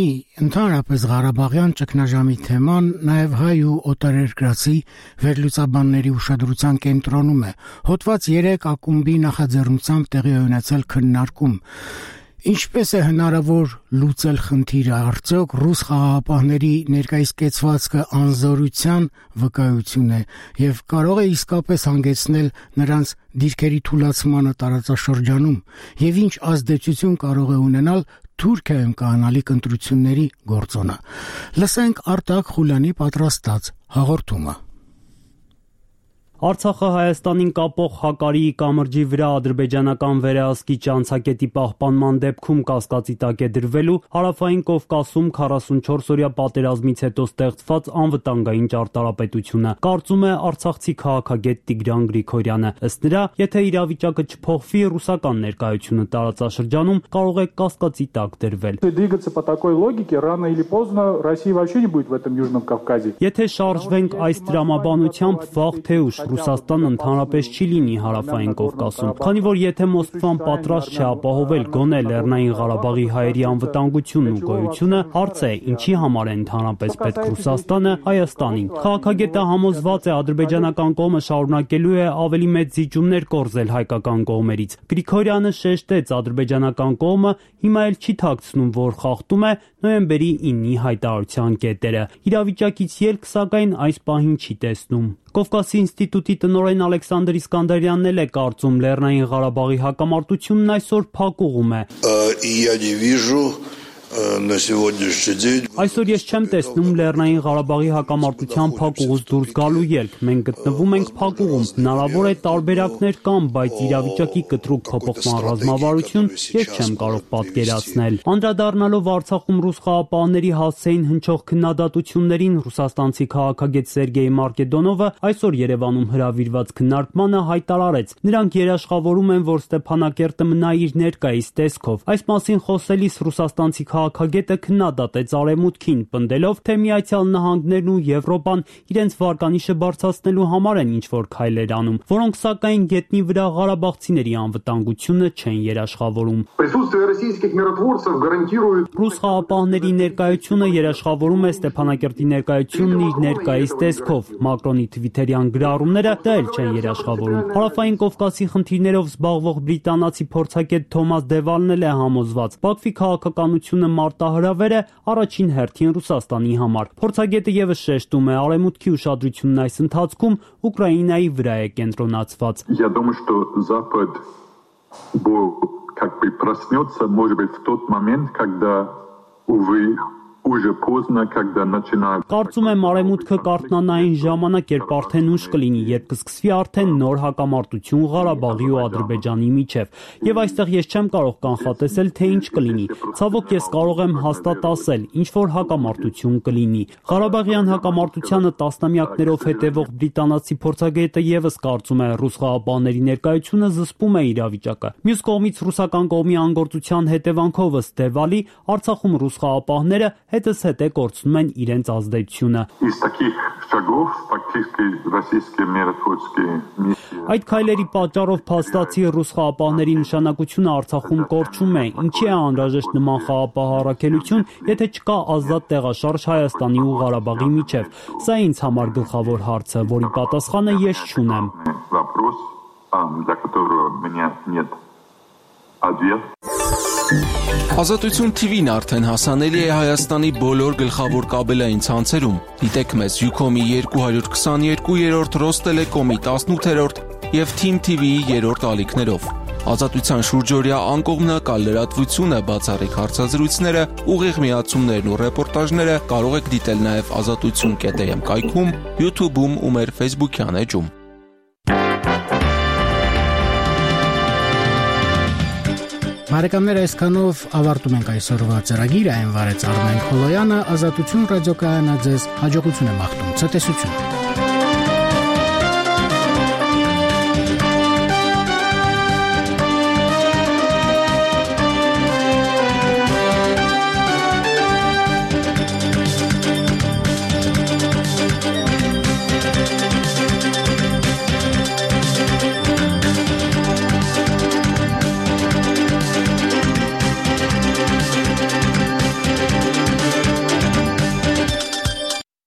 ընդհանրապես Ղարաբաղյան ճգնաժամի թեման նաև հայ ու օտարերկրացի վերլուծաբանների ուշադրության կենտրոնում է։ Հոդված 3 ակումբի նախաձեռնությամբ տեղի ունեցել քննարկում։ Ինչպես է հնարավոր լուծել խնդիրը, արդյոք ռուս խաղաղապահների ներկայիս կեցվածքը անզորության վկայություն է եւ կարող է իսկապես հանգեցնել նրանց դիրքերի թուլացմանը տարածաշրջանում եւ ինչ ազդեցություն կարող է ունենալ Թուրքիայում կանալիք ընտրությունների գործոնը։ Լսենք Արտակ Խուլյանի պատրաստած հաղորդումը։ Արցախը Հայաստանին կապող Հակարիի կամրջի վրա ադրբեջանական վերահսկիչ անցակետի պահպանման դեպքում կասկածի տակ է դրվելու Հարավային Կովկասում 44-օրյա պատերազմից հետո ստեղծված անվտանգային ճարտարապետությունը, կարծում է արցախցի քաղաքագետ Տիգրան Գրիգորյանը։ Ըստ նրա, եթե իրավիճակը չփոխվի, ռուսական ներկայությունը տարածաշրջանում կարող է կասկածի տակ դրվել։ Двигаться по такой логике рано или поздно России вообще не будет в этом Южном Кавказе. Եթե շարժվենք այս դրամաբանությամբ, վաղ թե ուշ Ռուսաստան ընդհանրապես չի լինի Հարավային Կովկասում, քանի որ եթե Մոսկվան պատրաստ չէ ապահովել գոնե Լեռնային Ղարաբաղի հայերի անվտանգությունն ու գոյությունը, հարց է, ինչի համար է ընդհանրապես պետք Ռուսաստանը Հայաստանին։ Քաղաքագետը համոզված է, ադրբեջանական կողմը շարունակելու է ավելի մեծ զիջումներ կորզել հայկական կողմերից։ Գրիգորյանը շեշտեց, ադրբեջանական կողմը հիմա էլ չի թաքցնում, որ խախտում է նոյեմբերի 9-ի հայտարարության կետերը։ Իրավիճակից ելք, սակայն, այս պահին չի տեսնում։ Կովկասի ինստիտուտի տնօրեն Ալեքսանդր Իսկանդարյանն էլ է կարծում, Լեռնային Ղարաբաղի հակամարտությունն այսօր փակուղում է։ Այսօր ես չեմ տեսնում Լեռնային Ղարաբաղի հակամարտության փակուղուց դուրս գալու ելք։ Մենք գտնվում ենք փակուղում։ Հնարավոր է տարբերակներ կան, բայց իրավիճակի կտրուկ փոփոխման ռազմավարություն ես չեմ կարող պատկերացնել։ Անդրադառնալով Արցախում ռուս խաղապահների հասցեին հնչող քննադատություններին, ռուսաստանցի քաղաքագետ Սերգեյ Մարկեդոնովը այսօր Երևանում հրավիրված քննարկմանը հայտարարեց. նրանք երաշխավորում են, որ Ստեփանակերտը մնա իր ներկայիս տեսքով։ Այս մասին խոսելիս ռուսաստանցի քաղաքագետը քննադատեց Արևմուտքին, պնդելով, թե Միացյալ Նահանգներն ու Եվրոպան իրենց վարկանիշը բարձրացնելու համար են ինչ-որ քայլեր անում, որոնք սակայն գետնի վրա ղարաբաղցիների անվտանգությունը չեն երաշխավորում։ Ռուս խաղապահների ներկայությունը երաշխավորում է Ստեփանակերտի ներկայությունն իր ներկայիս տեսքով։ Մակրոնի թվիթերյան գրառումները դա էլ չեն երաշխավորում։ Հարավային Կովկասի խնդիրներով զբաղվող բրիտանացի փորձագետ Թոմաս Դևալն էլ է համոզված. Բաքվի քաղաքականությունը մարտահրավեր է առաջին հերթին Ռուսաստանի համար։ Փորձագետը եւս շեշտում է, Արևմուտքի ուշադրությունն այս ընթացքում Ուկրաինայի վրա է կենտրոնացված։ Я думаю, что Запад как бы проснется, может быть, в тот момент, когда, увы, уже поздно, когда начинают... Կարծում եմ արևմուտքը կարթնանային ժամանակ, երբ արդեն ուշ կլինի, երբ կսկսվի արդեն նոր հակամարտություն Ղարաբաղի ու Ադրբեջանի միջև։ Եվ այստեղ ես չեմ կարող կանխատեսել, թե ինչ կլինի։ Ցավոք ես կարող եմ հաստատ ասել, ինչ որ հակամարտություն կլինի։ Ղարաբաղյան հակամարտությանը տասնամյակներով հետևող բրիտանացի փորձագետը եւս կարծում է, ռուս խաղաղապահների ներկայությունը զսպում է իրավիճակը։ Մյուս կողմից ռուսական կողմի անգործության հետևանքով ըստ Դևալի Արցախում ռուս խաղաղապահները հետզհետե կորցնում են իրենց ազդեցությունը։ Այդ քայլերի պատճառով փաստացի ռուս խաղաղապահների նշանակությունը Արցախում կորչում է։ Ինչի է անհրաժեշտ նման խաղաղապահ առաքելություն, եթե չկա ազատ տեղաշարժ Հայաստանի ու Ղարաբաղի միջև։ Սա ինձ համար գլխավոր հարցը, որի պատասխանը ես չունեմ։ Ազատություն TV-ն արդեն հասանելի է Հայաստանի բոլոր գլխավոր կաբելային ցանցերում։ Դիտեք մեզ Ucom-ի 222-րդ, Ռոստելեկոմի 18-րդ եւ Team TV-ի 3-րդ ալիքներով։ Ազատության շուրջօրյա անկողմնակալ լրատվությունը, բացառիկ հարցազրույցները, ուղիղ միացումներն ու ռեպորտաժները կարող եք դիտել նաեւ azatutsun.am կայքում, YouTube-ում ու մեր Facebook-յան էջում։ Բարեկամներ, այսքանով ավարտում ենք այսօրվա ծրագիրը, այն վարեց Արմեն Խոլոյանը, Ազատություն ռադիոկայանը ձեզ հաջողություն է մաղթում, ցտեսություն։